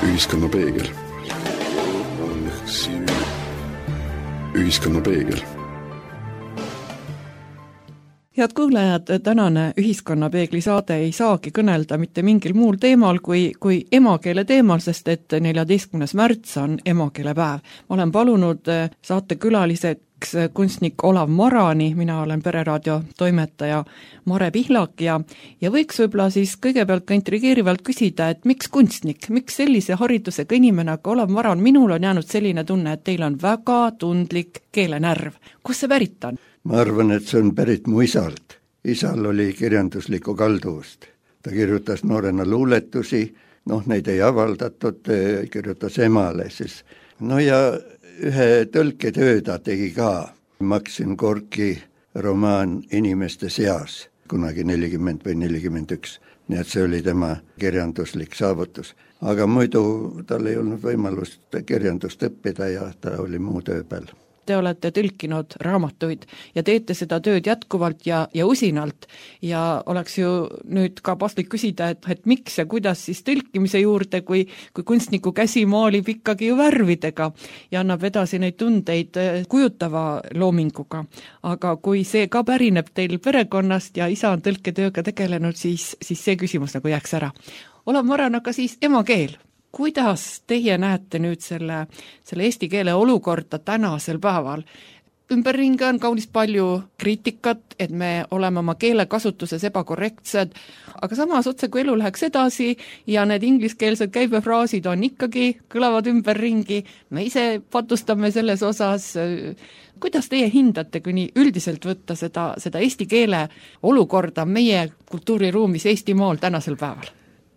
Ühiskonna peegel. Ühiskonna peegel. Head kuulajad, tänane Ühiskonna peegli saade ei saagi kõnelda mitte mingil muul teemal kui emakeele teemal, sest et 14. märts on emakeelepäev. Ma olen palunud saatekülaliseks kunstnik Olav Marani, mina olen Pereraadio toimetaja Mare Pihlak ja võiks võib-olla siis kõigepealt ka intrigeerivalt küsida, et miks kunstnik, miks sellise haridusega inimene, aga Olav Maran, minul on jäänud selline tunne, et teil on väga tundlik keelenärv. Kus see pärit on? Ma arvan, et see on pärit mu isalt. Isal oli kirjanduslikku kalduvust. Ta kirjutas noorena luuletusi, neid ei avaldatud, kirjutas emale siis. Ja ühe tõlketöö ta tegi ka. Maksim Gorki romaan Inimeste seas, kunagi 40 või 41. Nii et see oli tema kirjanduslik saavutus. Aga muidu tal ei olnud võimalust kirjandust õppida ja ta oli muu töö peal. Te olete tõlkinud raamatuid ja teete seda tööd jätkuvalt ja usinalt ja oleks ju nüüd ka paslik küsida, et miks ja kuidas siis tõlkimise juurde, kui kunstniku käsi maalib ikkagi ju värvidega ja annab edasi neid tundeid kujutava loominguga. Aga kui see ka pärineb teil perekonnast ja isa on tõlketööga tegelenud, siis see küsimus nagu jääks ära. Olav Maran, aga siis emakeel. Kuidas teie näete nüüd selle eesti keele olukorda tänasel päeval? Ümberringi on kaunis palju kriitikat, et me oleme oma keelekasutuses ebakorrektsed, aga samas otse kui elu läheks edasi ja need ingliskeelsed käibefraasid on ikkagi, kõlavad ümberringi, me ise patustame selles osas. Kuidas teie hindate, kui nii üldiselt võtta seda eesti keele olukorda meie kultuuriruumis Eestimaal tänasel päeval?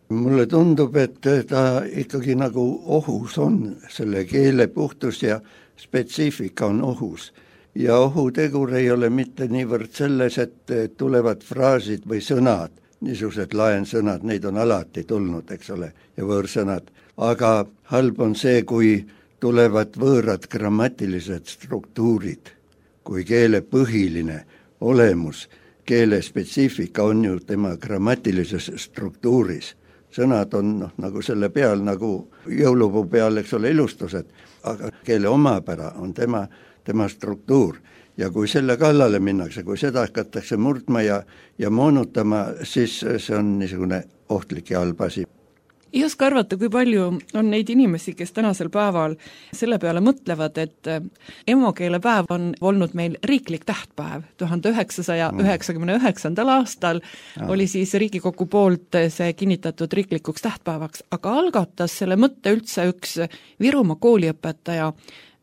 Mulle tundub, et ta ikkagi nagu ohus on, selle keele puhtus ja spetsiifika on ohus. Ja ohutegur ei ole mitte niivõrd selles, et tulevad fraasid või sõnad, niisugused laensõnad, neid on alati tulnud, eks ole, ja võõrsõnad. Aga halb on see, kui tulevad võõrad grammatilised struktuurid, kui keele põhiline olemus, keele spetsiifika on ju tema grammatilises struktuuris. Sõnad on nagu selle peal, nagu jõulupuu peal, eks ole, ilustused, aga keele omapära on tema struktuur. Ja kui selle kallale minnakse, kui seda hakatakse murdma ja moonutama, siis see on niisugune ohtlik ja halb asi. Ei oska arvata, kui palju on neid inimesi, kes tänasel päeval selle peale mõtlevad, et emakeelepäev on olnud meil riiklik tähtpäev. 1999. aastal oli siis Riigikogu poolt see kinnitatud riiklikuks tähtpäevaks, aga algatas selle mõtte üldse üks Virumaa kooliõpetaja,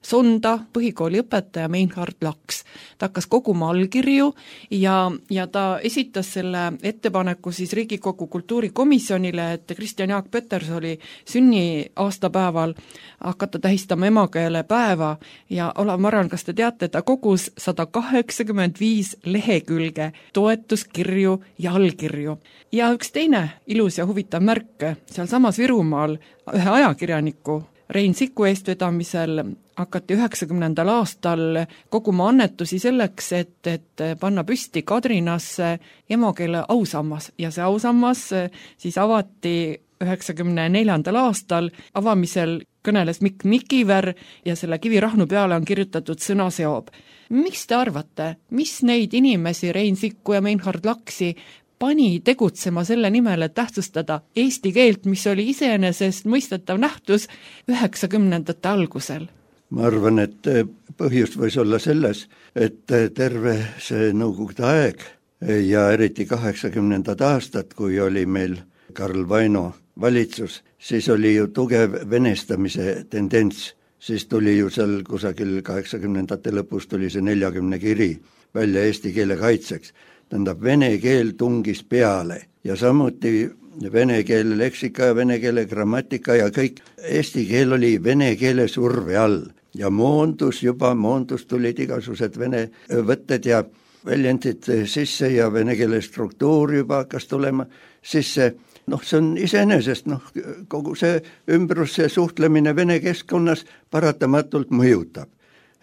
Sonda põhikooli õpetaja Meinhard Laks. Ta hakkas koguma allkirju ja ta esitas selle ettepaneku siis Riigikogu kultuurikomisjonile, et Kristjan Jaak Petersoni sünniaastapäeval hakata tähistama emakeele päeva ja Olav Maran, kas te teate, ta kogus 185 lehekülge toetuskirju ja allkirju. Ja üks teine ilus ja huvitav märk, seal samas Virumaal ühe ajakirjaniku Rein Siku eestvedamisel hakati 90. aastal koguma annetusi selleks, et panna püsti Kadrinasse emakeele ausammas ja see ausammas siis avati 94. aastal. Avamisel kõneles Mikk Mikiver ja selle kivirahnu peale on kirjutatud sõna seob. Mis te arvate, mis neid inimesi, Rein Sikku ja Meinhard Laksi, pani tegutsema selle nimel, et tähtsustada eesti keelt, mis oli iseenesest mõistetav nähtus 90. algusel? Ma arvan, et põhjus võis olla selles, et terve see nõukogude aeg ja eriti 80. aastad, kui oli meil Karl Vaino valitsus, siis oli ju tugev venestamise tendents. Siis tuli ju seal kusagil 80. lõpus tuli see 40 kiri välja eesti keele kaitseks. Tähendab, vene keel tungis peale ja samuti vene keele leksika ja vene keele grammatika ja kõik. Eesti keel oli vene keele surve all ja moondus tulid igasugused vene võtted ja väljendid sisse ja vene keele struktuur juba hakkas tulema sisse. See on iseenesest, kogu see ümbrus, see suhtlemine vene keskkonnas paratamatult mõjutab,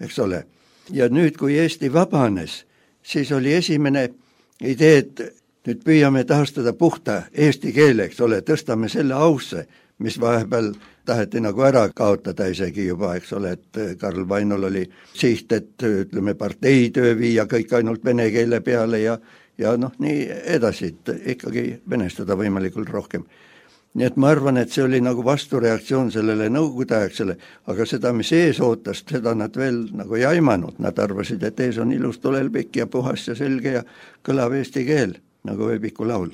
eks ole. Ja nüüd, kui Eesti vabanes, siis oli esimene idee, et nüüd püüame taastada puhta eesti keele, eks ole, tõstame selle ausse, mis vahepeal taheti nagu ära kaotada isegi juba, eks ole, et Karl Vainol oli siht, et ütleme, parteitöö viia kõik ainult vene keele peale ja noh, nii edasi, et ikkagi venestada võimalikult rohkem. Nii et ma arvan, et see oli nagu vastureaktsioon sellele nõukogudeaegsele, aga seda, mis ees ootas, seda nad veel nagu ei aimanud, nad arvasid, et ees on ilus tulelpikk ja puhas ja selge ja kõlav eesti keel, nagu Veebiku laul.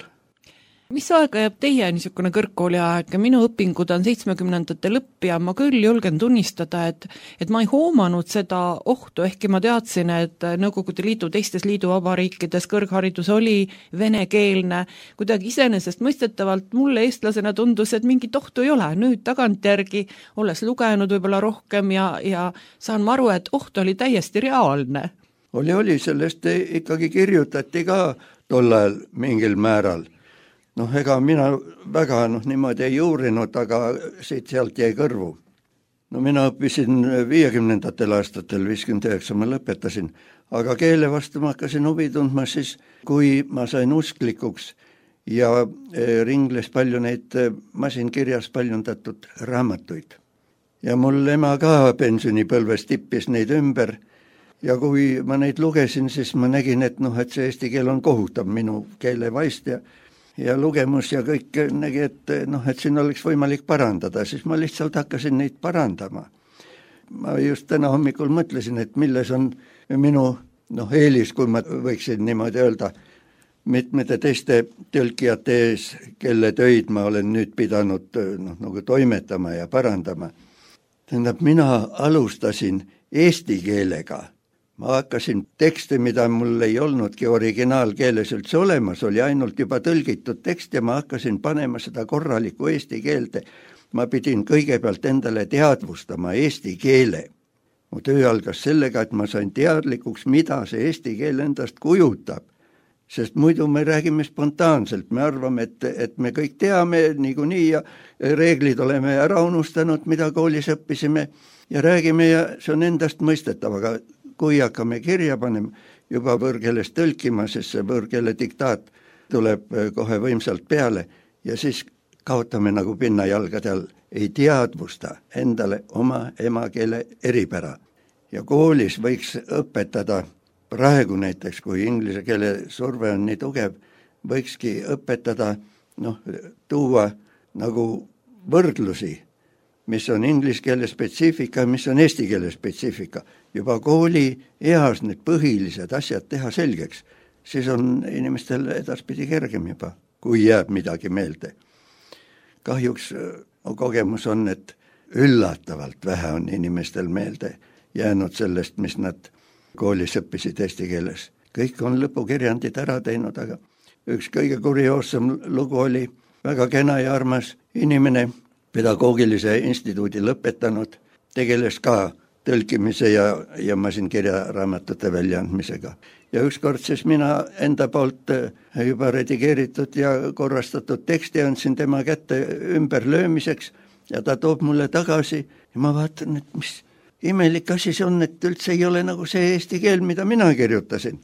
Mis aega jääb teie niisugune kõrgkooli aeg? Minu õpingud on 70ndate lõpp ja ma küll julgen tunnistada, et ma ei hoomanud seda ohtu, ehkki ma teadsin, et Nõukogude Liidu teistes liiduvabariikides kõrgharidus oli venekeelne. Kuidagi iseenesestmõistetavalt mulle eestlasena tundus, et mingit ohtu ei ole. Nüüd tagantjärgi, olles lugenud võib-olla rohkem ja saan ma aru, et oht oli täiesti reaalne. Oli, sellest ikkagi kirjutati ka tol ajal mingil määral. Noh, ega mina väga niimoodi ei uurinud, aga siit-sealt jäi kõrvu. No mina õppisin 50ndatel aastatel, 59 ma lõpetasin, aga keele vastu ma hakkasin huvi tundma siis, kui ma sain usklikuks ja ringles palju neid masinkirjas paljundatud raamatuid. Ja mul ema ka pensionipõlves tippis neid ümber ja kui ma neid lugesin, siis ma nägin, et see eesti keel on kohutav minu keelevaist ja lugemus ja kõik nägi, et siin oleks võimalik parandada, siis ma lihtsalt hakkasin neid parandama. Ma just täna hommikul mõtlesin, et milles on minu eelis, kui ma võiksin niimoodi öelda, mitmete teiste tõlkijate ees, kelle töid ma olen nüüd pidanud nagu toimetama ja parandama. Tähendab, mina alustasin eesti keelega. Ma hakkasin tekste, mida mul ei olnudki originaalkeeles üldse olemas, oli ainult juba tõlgitud tekst ja ma hakkasin panema seda korralikku eesti keelde. Ma pidin kõigepealt endale teadvustama eesti keele. Mu töö algas sellega, et ma sain teadlikuks, mida see eesti keel endast kujutab. Sest muidu me räägime spontaanselt, me arvame, et me kõik teame niikuinii ja reeglid oleme ära unustanud, mida koolis õppisime ja räägime ja see on endast mõistetav, aga kui hakkame kirja panema, juba võõrkeelest tõlkima, sest see võõrkeele diktaat tuleb kohe võimsalt peale ja siis kaotame nagu pinnajalgade all, ei teadvusta endale oma emakeele eripära. Ja koolis võiks õpetada, praegu näiteks, kui inglise keele surve on nii tugev, võikski õpetada, tuua nagu võrdlusi, mis on inglise keele spetsiifika, mis on eesti keele spetsiifika. Juba kooli eas need põhilised asjad teha selgeks, siis on inimestel edaspidi kergem juba, kui jääb midagi meelde. Kahjuks kogemus on, et üllatavalt vähe on inimestel meelde jäänud sellest, mis nad koolis õppisid eesti keeles. Kõik on lõpukirjandid ära teinud, aga üks kõige kurioossem lugu oli väga kena ja armas inimene, pedagoogilise instituudi lõpetanud, tegeles ka tõlkimise ja masinkirja raamatute väljaandmisega. Ja ükskord siis mina enda poolt juba redigeeritud ja korrastatud teksti andsin tema kätte ümberlöömiseks ja ta toob mulle tagasi ja ma vaatan, et mis imelik asi see on, et üldse ei ole nagu see eesti keel, mida mina kirjutasin.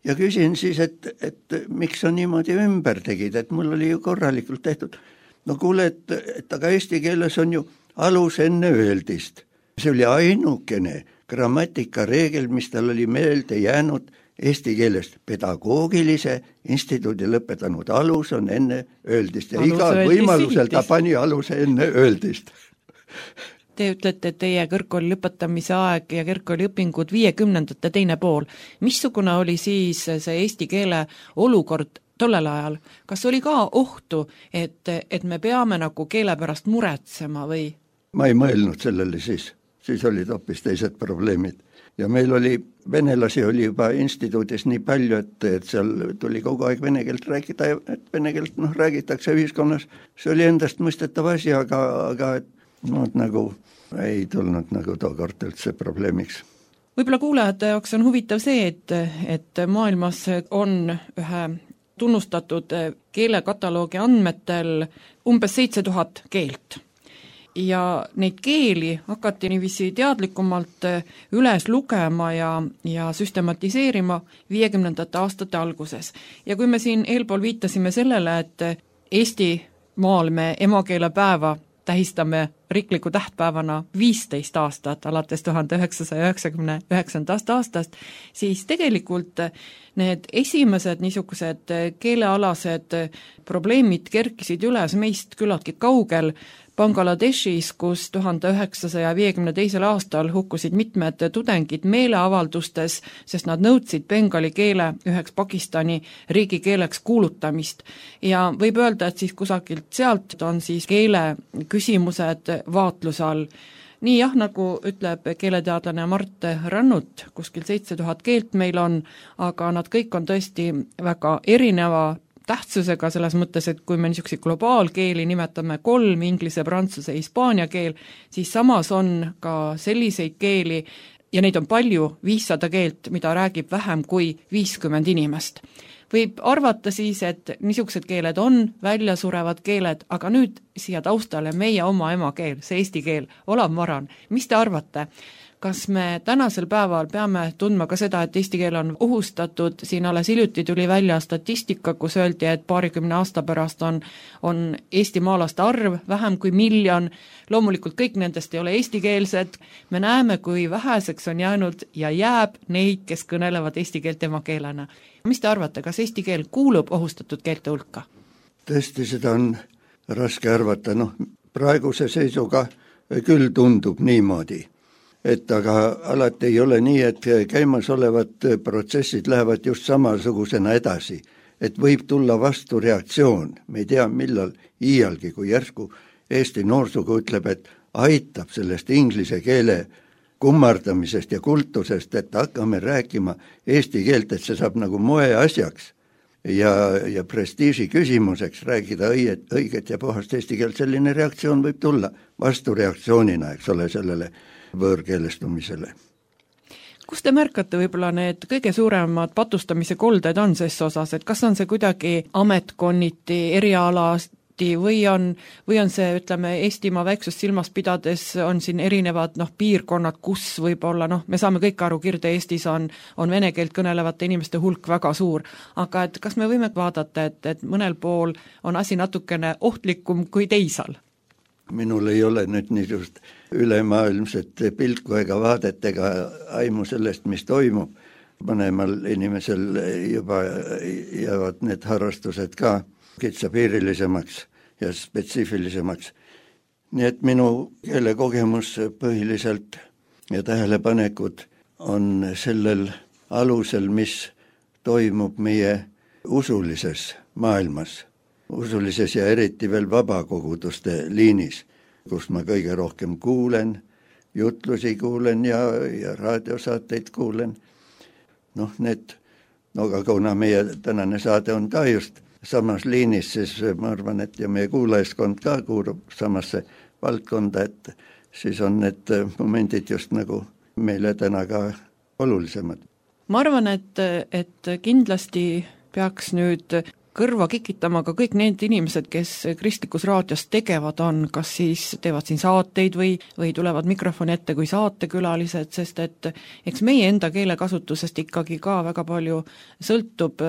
Ja küsin siis, et miks sa niimoodi ümber tegid, et mul oli ju korralikult tehtud. No kuule, et aga eesti keeles on ju alus enne öeldist. See oli ainukene grammatikareegel, mis tal oli meelde jäänud eesti keelest. Pedagoogilise instituudi lõpetanud alus on enne öeldist ja igal võimalusel ta pani aluse enne öeldist. Te ütlete, et teie kõrgkooli lõpetamise aeg ja kõrgkooli õpingud 50ndate teine pool. Missugune oli siis see eesti keele olukord tollel ajal? Kas oli ka ohtu, et me peame nagu keele pärast muretsema või? Ma ei mõelnud sellele siis olid hoopis teised probleemid. Ja meil oli, venelasi oli juba instituudis nii palju, et seal tuli kogu aeg vene keelt rääkida, et vene keelt räägitakse ühiskonnas. See oli endast mõistetav asi, aga nagu ei tulnud nagu tookord üldse probleemiks. Võib-olla kuulajate jaoks on huvitav see, et maailmas on ühe tunnustatud keelekataloogi andmetel umbes 7000 keelt. Ja neid keeli hakati niiviisi teadlikumalt üles lugema ja süstematiseerima 50ndate aastate alguses. Ja kui me siin eelpool viitasime sellele, et Eestimaal me emakeelepäeva tähistame riikliku tähtpäevana 15 aastat alates 1999. aastast, siis tegelikult need esimesed niisugused keelealased probleemid kerkisid üles meist küllaltki kaugel Bangladeshis, kus 1952. aastal hukkusid mitmed tudengid meeleavaldustes, sest nad nõudsid bengali keele üheks Pakistani riigikeeleks kuulutamist. Ja võib öelda, et siis kusagilt sealt on siis keele küsimused vaatluse all. Nii jah, nagu ütleb keeleteadlane Mart Rannut, kuskil 7000 keelt meil on, aga nad kõik on tõesti väga erineva tähtsusega selles mõttes, et kui me niisuguseid globaalkeeli nimetame 3, inglise, prantsuse, hispaania keel, siis samas on ka selliseid keeli, ja neid on palju, 500 keelt, mida räägib vähem kui 50 inimest. Võib arvata siis, et niisugused keeled on väljasurevad keeled, aga nüüd siia taustale meie oma emakeel, see eesti keel. Olav Maran, mis te arvate? Kas me tänasel päeval peame tundma ka seda, et eesti keel on ohustatud, siin alles hiljuti tuli välja statistika, kus öeldi, et 20 aasta pärast on eestimaalaste arv vähem kui 1 miljon, loomulikult kõik nendest ei ole eestikeelsed, me näeme, kui väheseks on jäänud ja jääb neid, kes kõnelevad eesti keelt emakeelena. Mis te arvate, kas eesti keel kuulub ohustatud keelte hulka? Tõesti, seda on raske arvata, praeguse seisuga küll tundub niimoodi. Et aga alati ei ole nii, et käimas olevad protsessid lähevad just samasugusena edasi, et võib tulla vastu reaktsioon, me ei tea millal iialgi, kui järsku Eesti noorsugu ütleb, et aitab sellest inglise keele kummardamisest ja kultusest, et hakkame rääkima eesti keelt, et see saab nagu moeasjaks ja prestiiži küsimuseks räägida õiget ja puhast eesti keelt, selline reaktsioon võib tulla vastureaktsioonina, eks ole, sellele võõrkeelestumisele. Kus te märkate võib-olla need kõige suuremad patustamise kolded on ses osas, et kas on see kuidagi ametkonniti, erialasti või on see, ütleme, Eestimaa väiksust silmas pidades on siin erinevad piirkonnad, kus võib-olla, me saame kõik aru, Kirde-Eestis on vene keelt kõnelevate inimeste hulk väga suur, aga et kas me võime vaadata, et mõnel pool on asi natukene ohtlikum kui teisal? Minul ei ole nüüd niisugust ülemaailmset pilku ega vaadet ega aimu sellest, mis toimub. Mõnemal inimesel juba jäävad need harrastused ka kitsapiirilisemaks ja spetsiifilisemaks. Nii et minu keelekogemus põhiliselt ja tähelepanekud on sellel alusel, mis toimub meie usulises maailmas. Usulises ja eriti veel vabakoguduste liinis, kus ma kõige rohkem kuulen, jutlusi kuulen ja raadiosaateid kuulen. Aga kuna meie tänane saade on ka just samas liinis, siis ma arvan, et ja meie kuulajaskond ka kuulub samasse valdkonda, et siis on need momendid just nagu meile täna ka olulisemad. Ma arvan, et kindlasti peaks nüüd kõrva kikitama ka kõik need inimesed, kes kristlikus raadios tegevad on, kas siis teevad siin saateid või tulevad mikrofoni ette kui saatekülalised, sest et eks meie enda keelekasutusest ikkagi ka väga palju sõltub,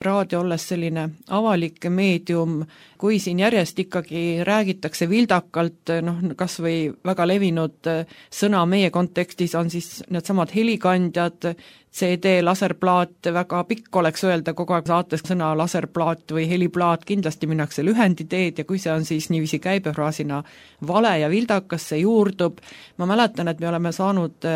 raadio olles selline avalik meedium, kui siin järjest ikkagi räägitakse vildakalt, kas või väga levinud sõna meie kontekstis on siis need samad helikandjad, CD, laserplaat, väga pikk oleks öelda kogu aeg saates sõna laserplaat või heliplaat, kindlasti minnakse lühenditeed ja kui see on siis niiviisi käibefraasina vale ja vildakas, see juurdub. Ma mäletan, et me oleme saanud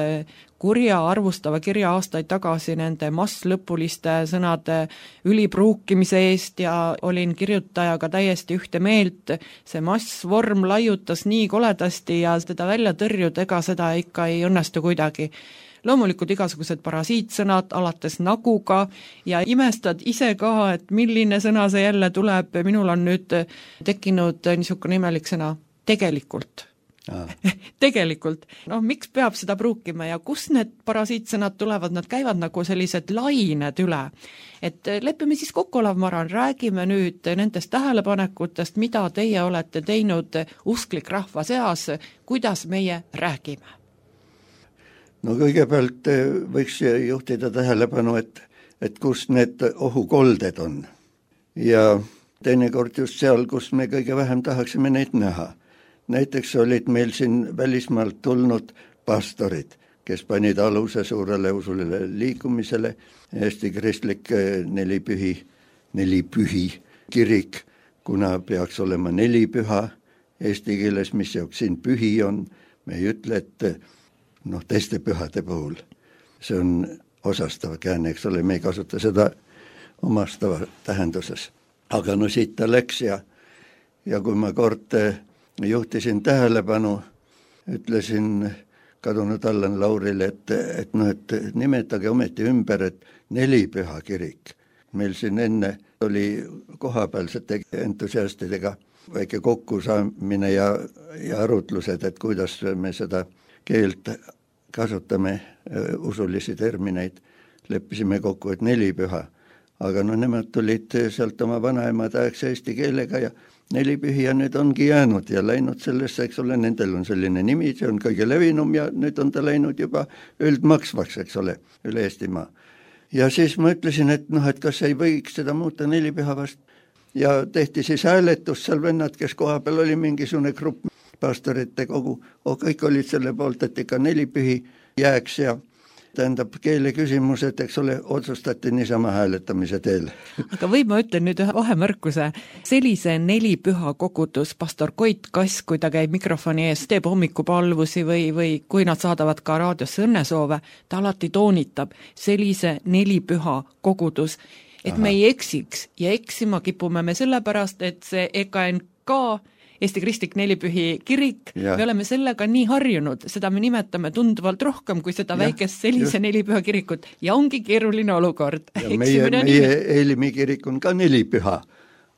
arvustava kirja aastaid tagasi nende masslõpuliste sõnade ülipruukimise eest ja olin kirjutajaga täiesti ühte meelt. See massvorm laiutas nii koledasti ja teda välja tõrjuda, ega seda ikka ei õnnestu kuidagi. Loomulikult igasugused parasiitsõnad alates naguga ja imestad ise ka, et milline sõna see jälle tuleb. Minul on nüüd tekkinud niisugune imelik sõna tegelikult. Tegelikult. Miks peab seda pruukima ja kus need parasiitsõnad tulevad, nad käivad nagu sellised lained üle. Et lepime siis kokku, Olav Maran, räägime nüüd nendest tähelepanekutest, mida teie olete teinud usklik rahva seas, kuidas meie räägime. Kõigepealt võiks juhtida tähelepanu, et kus need ohukolded on. Ja teinekord just seal, kus me kõige vähem tahaksime neid näha. näiteks olid meil siin välismaalt tulnud pastorid, kes panid aluse suurele usulile liikumisele, Eesti kristlik nelipühi kirik, kuna peaks olema 4 püha eesti keeles, mis jaoks siin pühi on, me ei ütle, et teiste pühade puhul. See on osastav käänne, eks ole, me ei kasuta seda omastava tähenduses. Aga siit ta läks ja kui ma kord juhtisin tähelepanu, ütlesin kadunud Allan Laurile, et nimetage ometi ümber, et 4 püha kirik. Meil siin enne oli kohapealsete entusiastidega väike kokkusaamine ja arutlused, et kuidas me seda keelt kasutame, usulisi termineid. Leppisime kokku, et 4 püha. Aga nemad tulid sealt oma vanaemade aegse eesti keelega ja 4 pühi ja nüüd ongi jäänud ja läinud sellesse, eks ole, nendel on selline nimi, see on kõige levinum ja nüüd on ta läinud juba üldmaksvaks, eks ole, üle Eestimaa. Ja siis ma ütlesin, et kas ei võiks seda muuta 4 püha vast. Ja tehti siis hääletus seal vennad, kes koha peal oli mingisugune grupp pastorite kogu, kõik olid selle poolt, et ikka 4 pühi jääks ja tähendab keele küsimused, eks ole, otsustati niisama hääletamise teel. Aga või ma ütlen nüüd ühe vahemärkuse, sellise 4 püha kogudus, pastor Koit Kass, kui ta käib mikrofoni ees, teeb hommikupalvusi või kui nad saadavad ka raadiosse õnnesoove, ta alati toonitab sellise 4 püha kogudus, et me ei eksiks ja eksima kipume me sellepärast, et see EKNK Eesti Kristlik Nelipühi kirik, me oleme sellega nii harjunud, seda me nimetame tunduvalt rohkem kui seda väikest sellise 4 püha kirikut ja ongi keeruline olukord. Ja meie Eelimi kirik on ka 4 püha,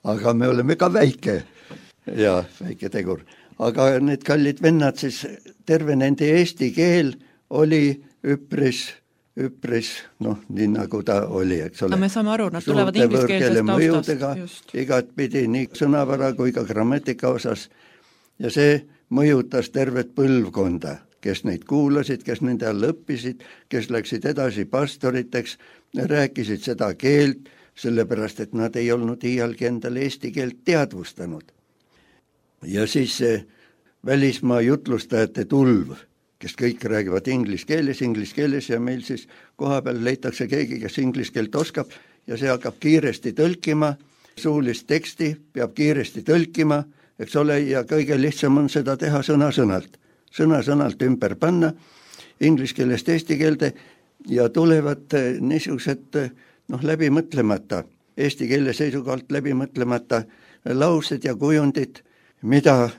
aga me oleme ka väike ja väike tegur. Aga need kallid vennad, siis terve nende eesti keel oli üpris, nii nagu ta oli, eks ole. No me saame aru, nad tulevad ingliskeelsest taustast. Igatpidi nii sõnavara kui ka grammatika osas. Ja see mõjutas tervet põlvkonda, kes neid kuulasid, kes nende all õppisid, kes läksid edasi pastoriteks, rääkisid seda keelt, sellepärast, et nad ei olnud iialgi endale eesti keelt teadvustanud. Ja siis see välismaa jutlustajate tulv, kes kõik räägivad inglise keeles ja meil siis koha peal leitakse keegi, kes inglise keelt oskab ja see hakkab kiiresti tõlkima, suulist teksti peab kiiresti tõlkima, eks ole, ja kõige lihtsam on seda teha sõna-sõnalt ümber panna inglise keelest eesti keelde ja tulevad niisugused läbimõtlemata, eesti keele seisukohalt läbimõtlemata laused ja kujundid, mida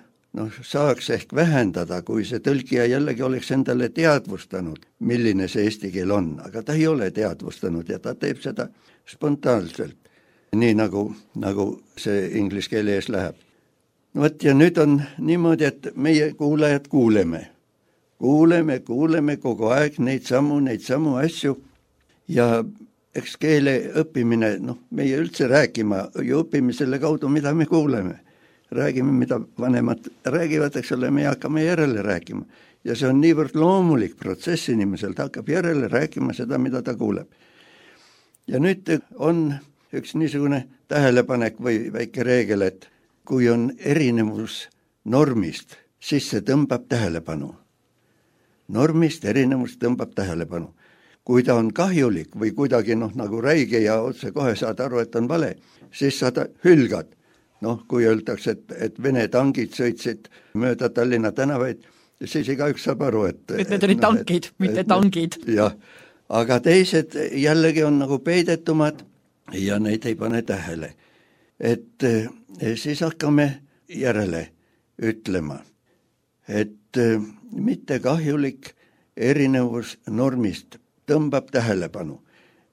saaks ehk vähendada, kui see tõlkija jällegi oleks endale teadvustanud, milline see eesti keel on, aga ta ei ole teadvustanud ja ta teeb seda spontaanselt, nii nagu see inglise keele ees läheb. Ja nüüd on niimoodi, et meie kuulajad kuuleme kogu aeg neid samu asju ja eks keele õppimine, meie üldse rääkima ju õpime selle kaudu, mida me kuuleme. Räägime, mida vanemad räägivad, eks ole, me hakkame järele rääkima. Ja see on niivõrd loomulik protsess inimesel, ta hakkab järele rääkima seda, mida ta kuuleb. Ja nüüd on üks niisugune tähelepanek või väike reegel, et kui on erinevus normist, siis see tõmbab tähelepanu. Normist erinevus tõmbab tähelepanu. Kui ta on kahjulik või kuidagi nagu räige ja otse kohe saad aru, et on vale, siis sa hülgad. Kui öeldakse, et Vene tangid sõitsid mööda Tallinna tänavaid, siis igaüks saab aru, et need olid tankid, mitte tangid. Jah, aga teised jällegi on nagu peidetumad ja neid ei pane tähele. Et siis hakkame järele ütlema, et mitte kahjulik erinevus normist tõmbab tähelepanu.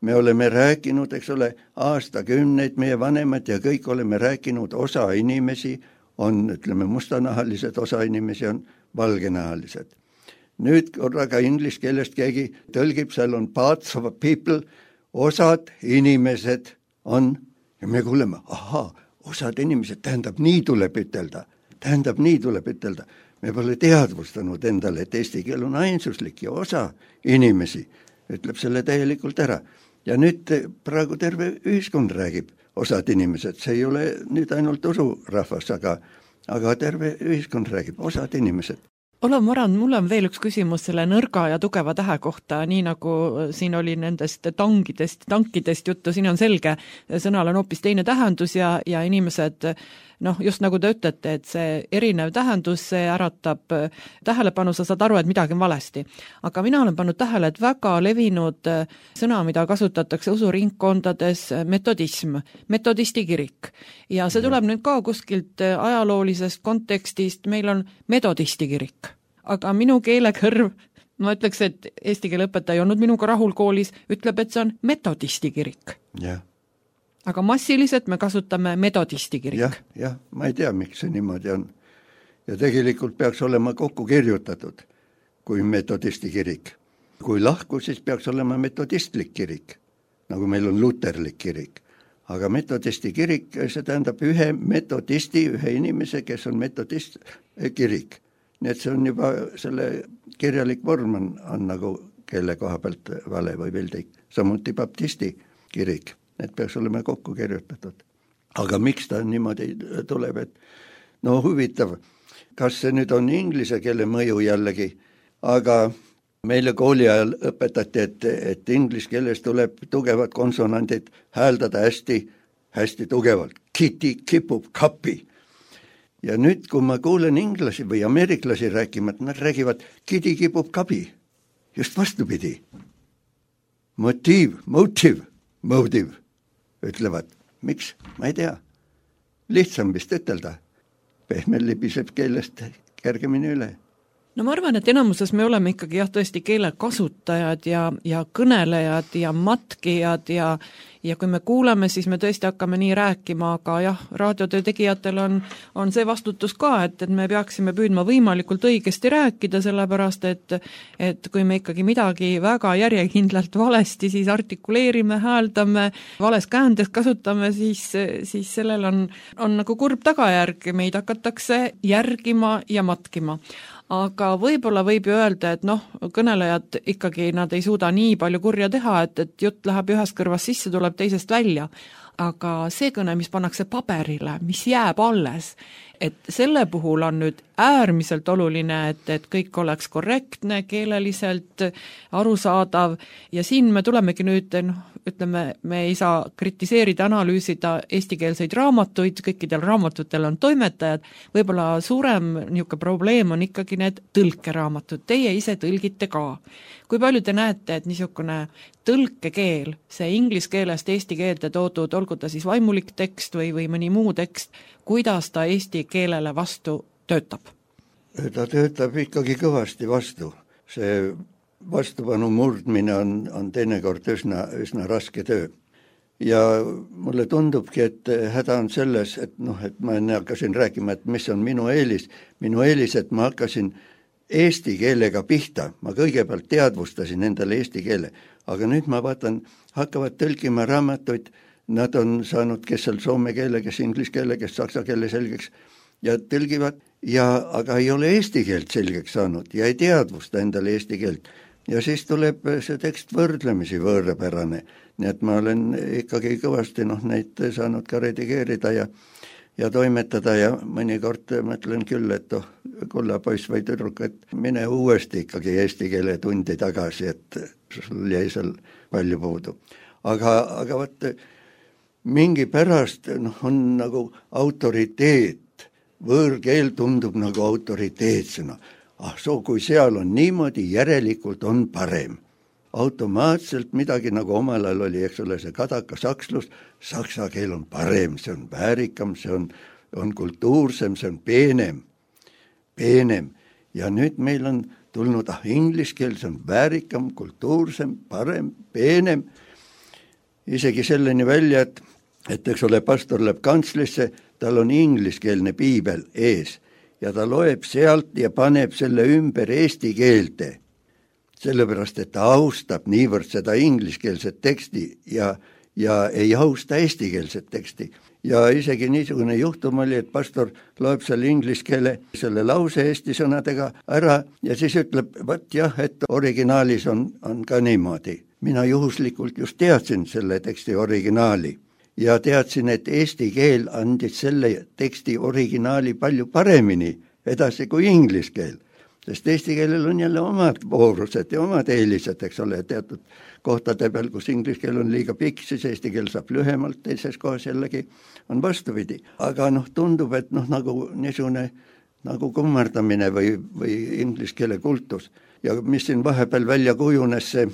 Me oleme rääkinud, eks ole, aastakümneid, meie vanemad ja kõik oleme rääkinud, osa inimesi on, ütleme, mustanahalised, osa inimesi on valgenahalised. Nüüd korraga inglise keelest keegi tõlgib, seal on parts of people, osad inimesed on, ja me kuuleme, osad inimesed, tähendab, nii tuleb ütelda. Me pole teadvustanud endale, et eesti keel on ainsuslik ja osa inimesi ütleb selle täielikult ära. Ja nüüd praegu terve ühiskond räägib, osad inimesed, see ei ole nüüd ainult usurahvas, aga aga terve ühiskond räägib, osad inimesed. Olav Marand, mul on veel üks küsimus selle nõrga ja tugeva tähe kohta, nii nagu siin oli nendest tankidest juttu, siin on selge, sõnal on hoopis teine tähendus ja inimesed, just nagu te ütlete, et see erinev tähendus, see äratab tähelepanu, sa saad aru, et midagi on valesti. Aga mina olen pannud tähele, et väga levinud sõna, mida kasutatakse usuringkondades, metodism, metodisti kirik. Ja see tuleb nüüd ka kuskilt ajaloolisest kontekstist, meil on metodisti kirik. Aga minu keelekõrv, ma ütleks, et eesti keele õpetaja ei olnud minuga rahul koolis, ütleb, et see on metodisti kirik. Jah. Aga massiliselt me kasutame metodisti kirik. Jah, ma ei tea, miks see niimoodi on. Ja tegelikult peaks olema kokku kirjutatud kui metodisti kirik. Kui lahku, siis peaks olema metodistlik kirik, nagu meil on luterlik kirik. Aga metodisti kirik, see tähendab ühe metodisti, ühe inimese, kes on metodist kirik. Nii et see on juba selle kirjalik vorm on nagu keele koha pealt vale või vildik. Samuti baptisti kirik. Need peaks olema kokku kirjutatud. Aga miks ta niimoodi tuleb, et huvitav, kas see nüüd on inglise keele mõju jällegi, aga meile kooli ajal õpetati, et inglise keeles tuleb tugevad konsonandid hääldada hästi tugevalt. Kitty kipub kapi. Ja nüüd, kui ma kuulen inglasi või ameeriklasi rääkima, nad räägivad kitty kipub kapi. Just vastupidi. Motive. Ütlevad, miks? Ma ei tea. Lihtsam vist ütelda. Pehmel libiseb keelest kergemini üle. No ma arvan, et enamuses me oleme ikkagi tõesti keele kasutajad ja kõnelejad ja matkijad ja kui me kuuleme, siis me tõesti hakkame nii rääkima, aga raadiotöö tegijatel on see vastutus ka, et me peaksime püüdma võimalikult õigesti rääkida, sellepärast et kui me ikkagi midagi väga järjekindlalt valesti, siis artikuleerime, hääldame, vales käändes kasutame, siis sellel on nagu kurb tagajärg, meid hakatakse järgima ja matkima. Aga võib-olla võib ju öelda, et kõnelejad ikkagi nad ei suuda nii palju kurja teha, et jutt läheb ühest kõrvast sisse, tuleb teisest välja. Aga see kõne, mis pannakse paberile, mis jääb alles, et selle puhul on nüüd äärmiselt oluline, et kõik oleks korrektne, keeleliselt arusaadav ja siin me tulemegi nüüd, ütleme, me ei saa kritiseerida, analüüsida eestikeelseid raamatuid, kõikidel raamatutel on toimetajad, võib-olla suurem niisugune probleem on ikkagi need tõlkeraamatud, teie ise tõlgite ka. Kui palju te näete, et niisugune tõlkekeel, see inglise keelest eesti keelde toodud, olgu ta siis vaimulik tekst või mõni muu tekst, kuidas ta eesti keelele vastu töötab? Ta töötab ikkagi kõvasti vastu. See vastupanu murdmine on teinekord üsna raske töö. Ja mulle tundubki, et häda on selles, et ma enne hakkasin rääkima, et mis on minu eelis. Minu eelis, et ma hakkasin eesti keelega pihta. Ma kõigepealt teadvustasin endale eesti keele. Aga nüüd ma vaatan, hakkavad tõlkima raamatuid, nad on saanud, kes seal soome keele, kes inglise keele, kes saksa keele selgeks ja tõlgivad, aga ei ole eesti keelt selgeks saanud ja ei teadvusta endale eesti keelt. Ja siis tuleb see tekst võrdlemisi võõrapärane, nii et ma olen ikkagi kõvasti neid saanud ka redigeerida ja toimetada ja mõnikord mõtlen küll, et kulla poiss või tüdruk, et mine uuesti ikkagi eesti keele tundi tagasi, et sul jäi seal palju puudu. Aga võt, mingi pärast on nagu autoriteet, võõrkeel tundub nagu autoriteetsena. Kui seal on niimoodi, järelikult on parem. Automaatselt midagi nagu omal ajal oli, eks ole, see kadaka sakslus, saksa keel on parem, see on väärikam, see on kultuursem, see on peenem. Ja nüüd meil on tulnud inglise keel, see on väärikam, kultuursem, parem, peenem. Isegi selleni välja, et eks ole, pastor läheb kantslisse, tal on ingliskeelne piibel ees ja ta loeb sealt ja paneb selle ümber eesti keelde. Sellepärast, et ta austab niivõrd seda ingliskeelset teksti ja ei austa eestikeelset teksti. Ja isegi niisugune juhtum oli, et pastor loeb seal inglise keele selle lause eesti sõnadega ära ja siis ütleb, et originaalis on ka niimoodi. Mina juhuslikult just teadsin selle teksti originaali ja teadsin, et eesti keel andis selle teksti originaali palju paremini edasi kui inglise keel. Sest eesti keelel on jälle omad voorused ja omad eelised, eks ole, teatud kohtade peal, kus inglise keel on liiga pikk, siis eesti keel saab lühemalt, teises kohas jällegi on vastupidi. Aga tundub, et nagu niisugune nagu kummardamine või inglise keele kultus. Ja mis siin vahepeal välja kujunes, see,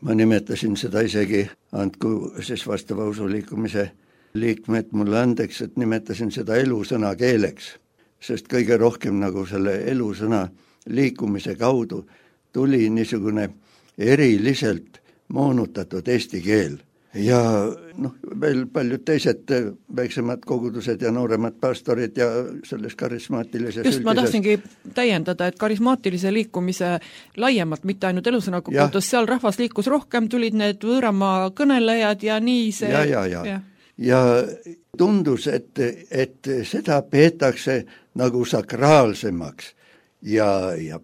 ma nimetasin seda isegi, andku siis vastava usuliikumise liikmed mulle andeks, et nimetasin seda elusõna keeleks, sest kõige rohkem nagu selle elusõna liikumise kaudu tuli niisugune eriliselt moonutatud eesti keel. Ja veel paljud teised väiksemad kogudused ja nooremad pastorid ja selles karismaatilises just, ma tahtsingi täiendada, et karismaatilise liikumise laiemalt, mitte ainult elusõna kogudus, seal rahvas liikus rohkem, tulid need võõramaa kõnelejad ja nii see... Ja tundus, et seda peetakse nagu sakraalsemaks ja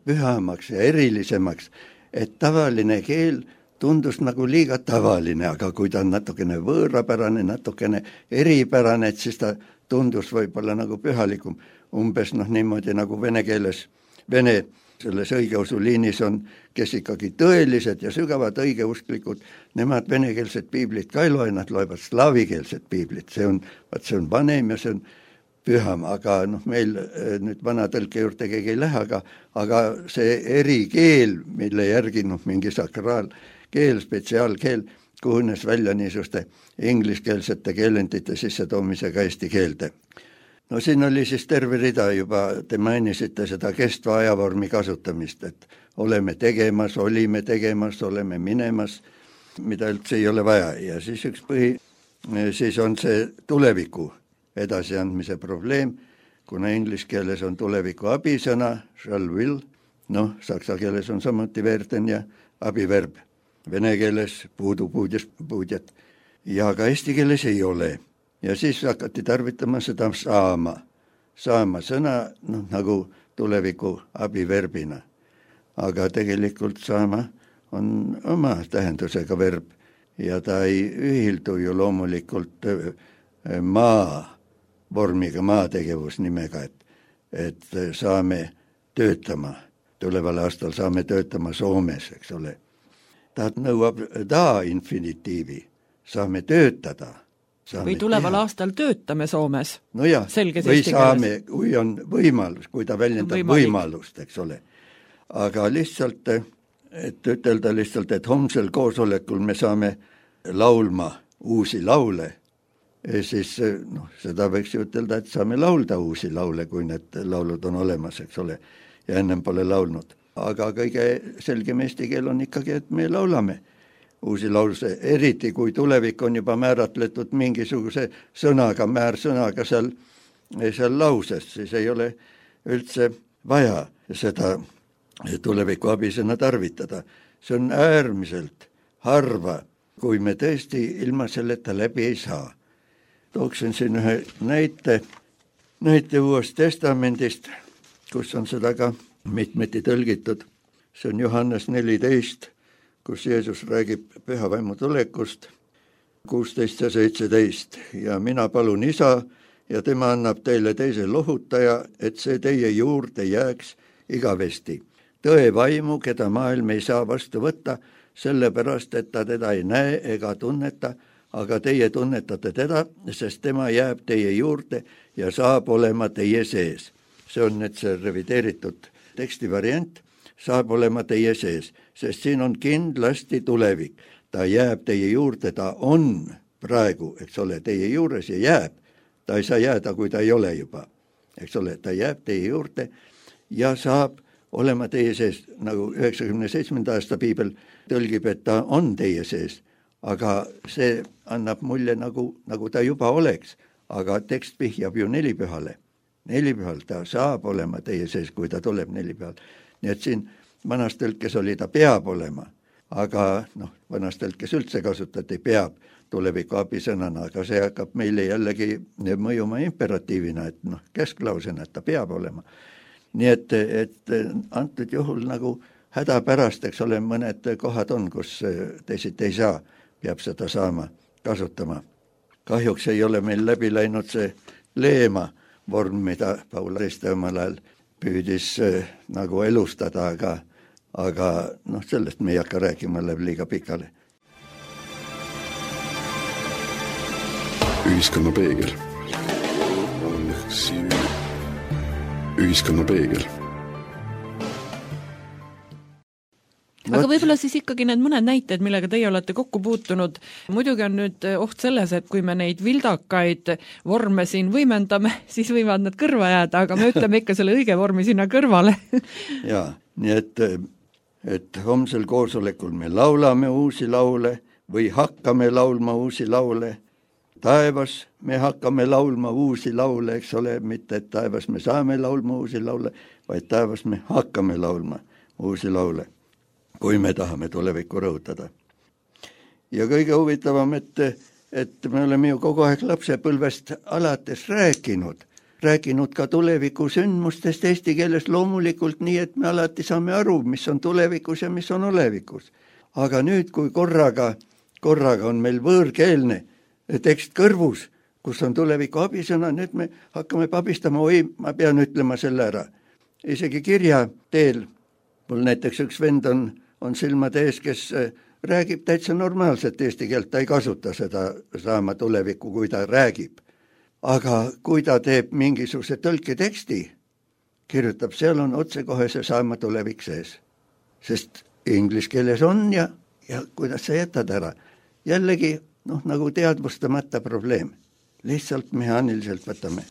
pühamaks ja erilisemaks, et tavaline keel tundus nagu liiga tavaline, aga kui ta on natukene võõrapärane, natukene eripärane, et siis ta tundus võib-olla nagu pühalikum. Umbes niimoodi nagu vene keeles, vene selles õigeusu liinis on, kes ikkagi tõelised ja sügavad õigeusklikud, nemad venekeelset piiblit ka ei loe, nad loevad slaavikeelset piiblit, see on vanem ja see on püham, aga meil nüüd vana tõlke juurde keegi ei lähe, aga see erikeel, mille järgi mingi sakraalkeel, spetsiaalkeel kujunes välja niisuguste ingliskeelsete keelendite sissetoomisega eesti keelde. Siin oli siis terve rida juba, te mainisite seda kestva ajavormi kasutamist, et oleme tegemas, olime tegemas, oleme minemas, mida üldse ei ole vaja. Ja siis üks siis on see tuleviku edasiandmise probleem, kuna inglise keeles on tuleviku abisõna, shall will, saksa keeles on samuti werden ja abiverb, vene keeles puudjat ja ka eesti keeles ei ole. Ja siis hakati tarvitama seda saama sõna nagu tuleviku abiverbina. Aga tegelikult saama on oma tähendusega verb ja ta ei ühildu ju loomulikult vormiga, maategevusnimega, et saame töötama, tuleval aastal saame töötama Soomes, eks ole. Ta nõuab infinitiivi, saame töötada. Või tuleval aastal töötame Soomes. Või saame, kui on võimalus, kui ta väljendab võimalust, eks ole. Aga lihtsalt, et ütelda lihtsalt, et homsel koosolekul me saame laulma uusi laule, siis seda võiks ju ütelda, et saame laulda uusi laule, kui need laulud on olemas, eks ole, ja ennem pole laulnud. Aga kõige selgem eesti keel on ikkagi, et me laulame uusi lause, eriti kui tulevik on juba määratletud mingisuguse sõnaga, määrsõnaga seal lauses, siis ei ole üldse vaja seda tuleviku abisõna tarvitada. See on äärmiselt harva, kui me tõesti ilma selleta läbi ei saa. Tooksin siin ühe näite Uuest Testamendist, kus on seda ka mitmeti tõlgitud. See on Johannes 14, kus Jeesus räägib pühavaimu tulekust, 16 ja 17. Ja mina palun Isa ja tema annab teile teise lohutaja, et see teie juurde jääks igavesti. Tõe vaimu, keda maailm ei saa vastu võtta, sellepärast, et ta teda ei näe ega tunneta, aga teie tunnetate teda, sest tema jääb teie juurde ja saab olema teie sees. See on nüüd see revideeritud tekstivariant. Saab olema teie sees, sest siin on kindlasti tulevik. Ta jääb teie juurde, ta on praegu, eks ole, teie juures ja jääb. Ta ei saa jääda, kui ta ei ole juba. Eks ole, ta jääb teie juurde ja saab olema teie sees, nagu 97. aasta piibel tõlgib, et ta on teie sees. Aga see annab mulje, nagu ta juba oleks. Aga tekst vihjab ju nelipühale. Nelipühal ta saab olema teie sees, kui ta tuleb nelipühal. Nii et siin vanas tõlkes oli ta peab olema, aga vanas tõlkes üldse kasutati peab tuleviku abisõnana, aga see hakkab meile jällegi mõjuma imperatiivina, et kesklausena, et ta peab olema. Nii et antud juhul nagu hädapärast, eks ole, mõned kohad on, kus teisiti ei saa, peab seda saama kasutama. kahjuks ei ole meil läbi läinud see leema vorm, mida Paul Riste omal ajal püüdis nagu elustada, aga sellest me ei hakka rääkima, läheb liiga pikale. Ühiskonna peegel. Ühiskonna peegel. Aga võib-olla siis ikkagi need mõned näited, millega teie olete kokku puutunud. Muidugi on nüüd oht selles, et kui me neid vildakaid vorme siin võimendame, siis võivad nad kõrva jääda, aga me ütleme ikka selle õige vormi sinna kõrvale. Jaa, nii et homsel koosolekul me laulame uusi laule või hakkame laulma uusi laule. Taevas me hakkame laulma uusi laule, eks ole, mitte et taevas me saame laulma uusi laule, vaid taevas me hakkame laulma uusi laule, kui me tahame tulevikku rõhutada. Ja kõige huvitavam, et me oleme ju kogu aeg lapsepõlvest alates rääkinud ka tuleviku sündmustest eesti keeles loomulikult nii, et me alati saame aru, mis on tulevikus ja mis on olevikus. Aga nüüd, kui korraga on meil võõrkeelne tekst kõrvus, kus on tuleviku abisõna, nüüd me hakkame pabistama, ma pean ütlema selle ära. Isegi kirja teel, mul näiteks üks vend on silmade ees, kes räägib täitsa normaalselt eesti keelt, ta ei kasuta seda saama tulevikku, kui ta räägib. Aga kui ta teeb mingisuguse tõlketeksti, kirjutab, seal on otsekohe see saama tulevik sees. Sest inglis keeles on ja kuidas sa jätad ära. Jällegi, nagu teadvustamata probleem. Lihtsalt mehaaniliselt võtame.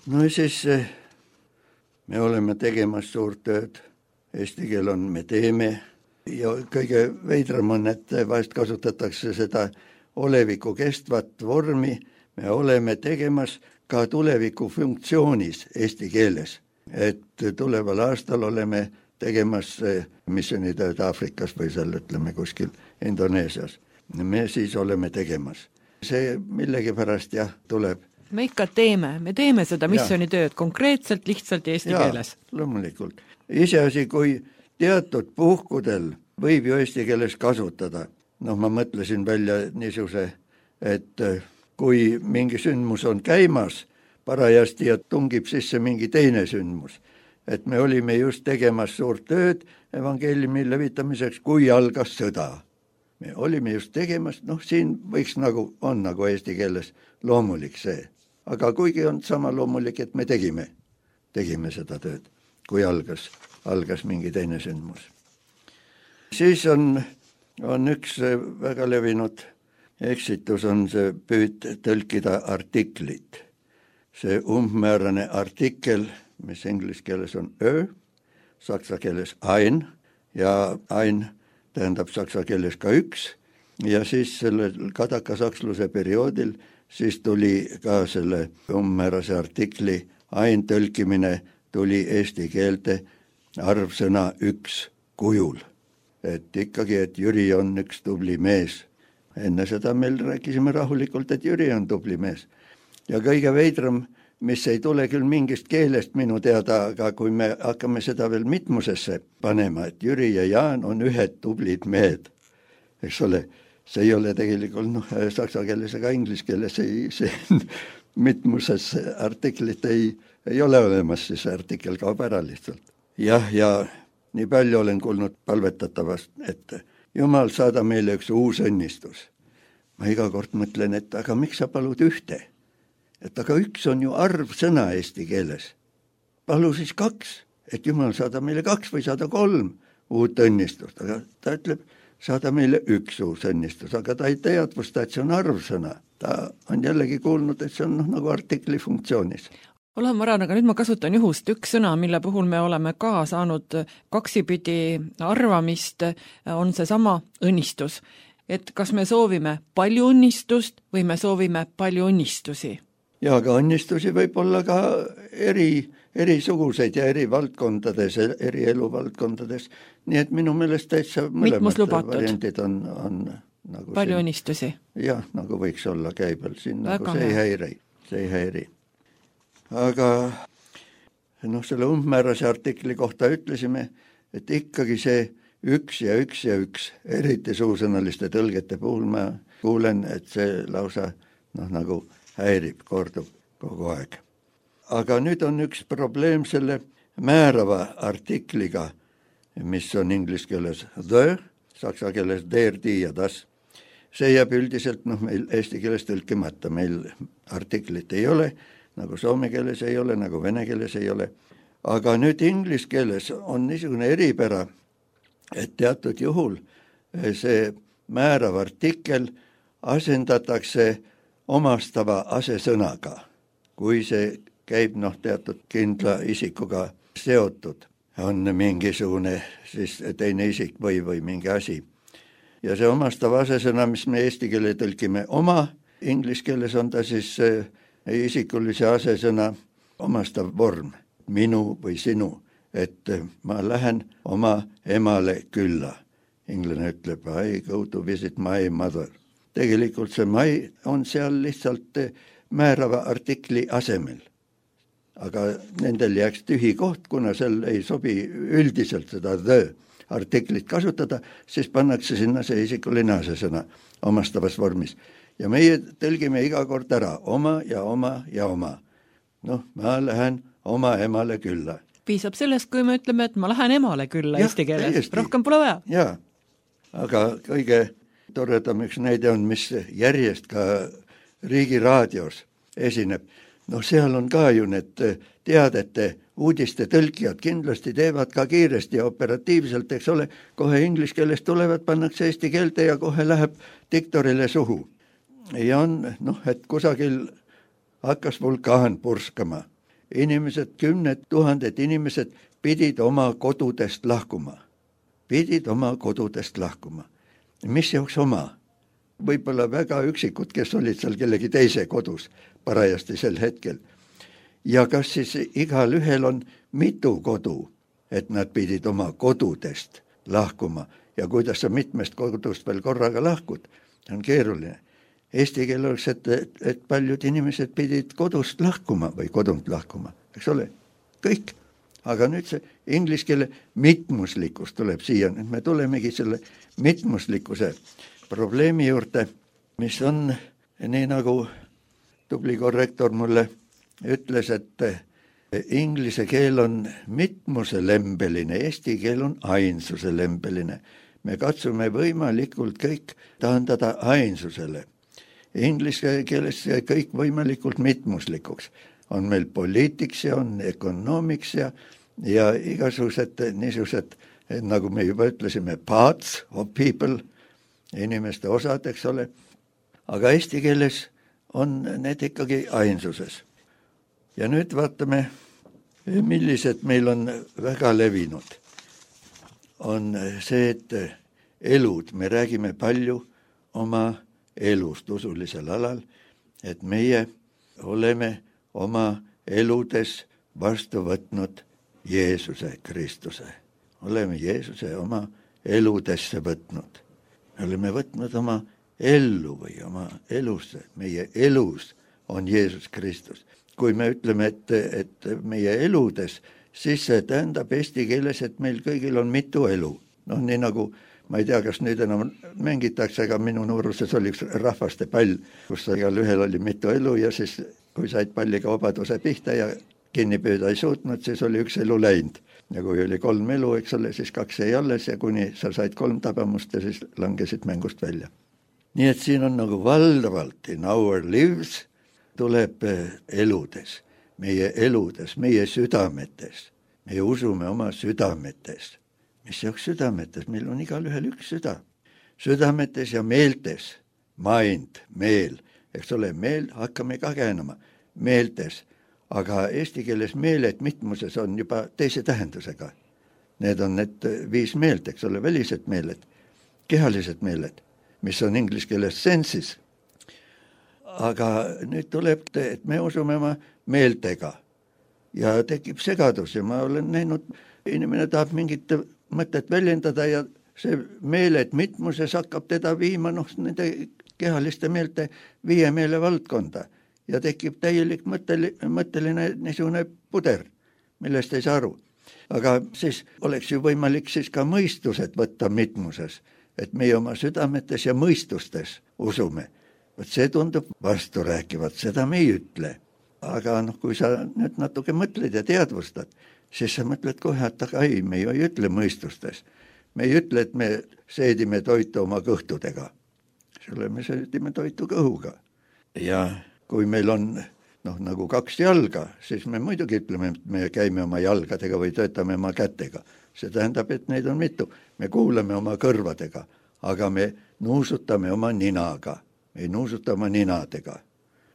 No ja siis me oleme tegemas suurt tööd. Eesti keel on, me teeme. Ja kõige veidram on, et vahest kasutatakse seda oleviku kestvat vormi. Me oleme tegemas ka tuleviku funktsioonis eesti keeles. Et tuleval aastal oleme tegemas missioonitööd Aafrikas või seal ütleme kuskil Indoneesias. Me siis oleme tegemas. See millegipärast tuleb. Me ikka me teeme seda missioonitööd konkreetselt, lihtsalt eesti keeles. Loomulikult. Iseasi, kui teatud puhkudel võib ju eesti keeles kasutada. Ma mõtlesin välja niisuguse, et kui mingi sündmus on käimas parajasti ja tungib sisse mingi teine sündmus, et me olime just tegemas suurt tööd evangeeliumi levitamiseks, kui algas sõda. Me olime just tegemas, siin võiks on eesti keeles loomulik see. Aga kuigi on sama loomulik, et me tegime seda tööd, kui algas mingi teine sündmus. Siis on üks väga levinud eksitus, on see püüd tõlkida artiklit. See umbmäärane artikkel, mis inglise keeles on saksa keeles ein ja ein tähendab saksa keeles ka üks, ja siis selle kadakasaksluse perioodil siis tuli ka selle umbmäärase artikli ein tõlkimine tuli eesti keelte arvsõna üks kujul. Et ikkagi, et Jüri on üks tubli mees. Enne seda meil rääkisime rahulikult, et Jüri on tubli mees. Ja kõige veidram, mis ei tule küll mingist keelest minu teada, aga kui me hakkame seda veel mitmusesse panema, et Jüri ja Jaan on ühed tublid mehed, eks ole, see ei ole tegelikult saksa keeles ega inglise keeles, see mitmuses artiklit ei ole olemas, siis artikkel kaob ära lihtsalt. Ja nii palju olen kuulnud palvetatavast, et Jumal, saada meile üks uus õnnistus. Ma iga kord mõtlen, et aga miks sa palud ühte? Et aga üks on ju arvsõna eesti keeles. Palu siis 2, et Jumal saada meile 2 või saada 3 uut õnnistust. Aga ta ütleb, saada meile üks uus õnnistus, aga ta ei teadvusta, et see on arvsõna. Ta on jällegi kuulnud, et see on nagu artikli funktsioonis. Olen Maran, aga nüüd ma kasutan juhust üks sõna, mille puhul me oleme ka saanud kaksipidi arvamist, on see sama õnnistus. Et kas me soovime palju õnnistust või me soovime palju õnnistusi? Ja aga õnnistusi võib olla ka erisuguseid ja eri valdkondades, eri eluvaldkondades. Nii et minu meelest täitsa mõlemad variandid on nagu palju õnnistusi? Jah, nagu võiks olla käibel. Siin nagu see ei häiri. Aga selle umbmäärase artikli kohta ütlesime, et ikkagi see üks ja üks, eriti suusõnaliste tõlgete puhul ma kuulen, et see lausa nagu häirib, kordub kogu aeg. Aga nüüd on üks probleem selle määrava artikliga, mis on inglise keeles the, saksa keeles der, die ja das. See jääb üldiselt meil eesti keeles tõlkimata, meil artiklit ei ole, nagu soome keeles ei ole, nagu vene keeles ei ole. Aga nüüd inglise keeles on niisugune eripära, et teatud juhul see määrav artikkel asendatakse omastava asesõnaga, kui see käib teatud kindla isikuga seotud, on mingisugune siis teine isik või mingi asi. Ja see omastava asesõna, mis me eesti keele tõlkime oma, inglise keeles on ta siis isikulise asesõna omastav vorm, minu või sinu, et ma lähen oma emale külla. Inglane ütleb, I go to visit my mother. Tegelikult see my on seal lihtsalt määrava artikli asemel. Aga nendel jääks tühi koht, kuna seal ei sobi üldiselt seda the artiklit kasutada, siis pannakse sinna see isikuline asesõna omastavas vormis. Ja meie tõlgime iga kord ära oma ja oma ja oma. Ma lähen oma emale külla. Piisab sellest, kui me ütleme, et ma lähen emale külla eesti keeles, rohkem pole vaja. Jaa, aga kõige toredam üks näide on, mis järjest ka Riigi Raadios esineb. Seal on ka ju need teadete uudiste tõlkijad kindlasti teevad ka kiiresti ja operatiivselt, eks ole, kohe inglise keelest tulevad, pannakse eesti keelde ja kohe läheb diktorile suhu. Ja on, et kusagil hakkas vulkaan purskama. Inimesed, 10 000 inimesed pidid oma kodudest lahkuma. Mis jaoks oma? Võib-olla väga üksikud, kes olid seal kellegi teise kodus parajasti sel hetkel. Ja kas siis igal ühel on mitu kodu, et nad pidid oma kodudest lahkuma ja kuidas sa mitmest kodust veel korraga lahkud, on keeruline. Eesti keel oleks, et paljud inimesed pidid kodust lahkuma või kodunt lahkuma, eks ole, kõik. Aga nüüd see inglise keele mitmuslikkus tuleb siia, nüüd me tulemegi selle mitmuslikkuse probleemi juurde, mis on nii nagu tubli korrektor mulle ütles, et inglise keel on mitmuselembeline, eesti keel on ainsuselembeline. Me katsume võimalikult kõik taandada ainsusele. Inglise keeles kõik võimalikult mitmuslikuks. On meil poliitiks ja on ökonoomiks ja igasugused niisugused, nagu me juba ütlesime, parts of people, inimeste osad, eks ole. Aga eesti keeles on need ikkagi ainsuses. Ja nüüd vaatame, millised meil on väga levinud. On see, et elud, me räägime palju oma elust usulisel alal, et meie oleme oma eludes vastu võtnud Jeesuse Kristuse. Oleme Jeesuse oma eludesse võtnud. Me oleme võtnud oma ellu või oma elusse. Meie elus on Jeesus Kristus. Kui me ütleme, et meie eludes, siis see tähendab eesti keeles, et meil kõigil on mitu elu. Nii nagu, ma ei tea, kas nüüd enam mängitakse, aga minu nooruses oli üks rahvaste pall, kus igal ühel oli mitu elu ja siis, kui said palliga vabaduse pihta ja kinni püüda ei suutnud, siis oli üks elu läinud. Ja kui oli 3 elu, eks ole, siis 2 jäi alles ja kuni sa said 3 tabamust ja siis langesid mängust välja. Nii et siin on nagu valdavalt in our lives tuleb eludes, meie südametes. Meie usume oma südametes. Mis jaoks südametes? Meil on igal ühel üks süda. Südametes ja meeltes, mind, meel, eks ole, meel hakkame ka käänama, meeltes. Aga eesti keeles meeled mitmuses on juba teise tähendusega. Need on need 5 meelt, eks ole, välised meeled, kehalised meeled, mis on inglise keeles senses. Aga nüüd tuleb, et me usume oma meeltega ja tekib segadus ja ma olen näinud, inimene tahab mingit mõtet väljendada ja see meeled mitmuses hakkab teda viima nende kehaliste meelte 5 meele valdkonda. Ja tekib täielik mõtteline niisugune puder, millest ei saa aru. Aga siis oleks ju võimalik siis ka mõistused võtta mitmuses, et meie oma südametes ja mõistustes usume. vot see tundub vastu rääkivat, seda me ei ütle. Aga kui sa nüüd natuke mõtled ja teadvustad, siis sa mõtled kohe, et aga ei, me ju ei ütle mõistustes. Me ei ütle, et me seedime toitu oma kõhtudega. Me seedime toitu kõhuga. Ja kui meil on nagu 2 jalga, siis me muidugi ütleme, et me käime oma jalgadega või töötame oma kätega. See tähendab, et neid on mitu. Me kuulame oma kõrvadega, aga me nuusutame oma ninaga. Me ei nuusuta oma ninadega,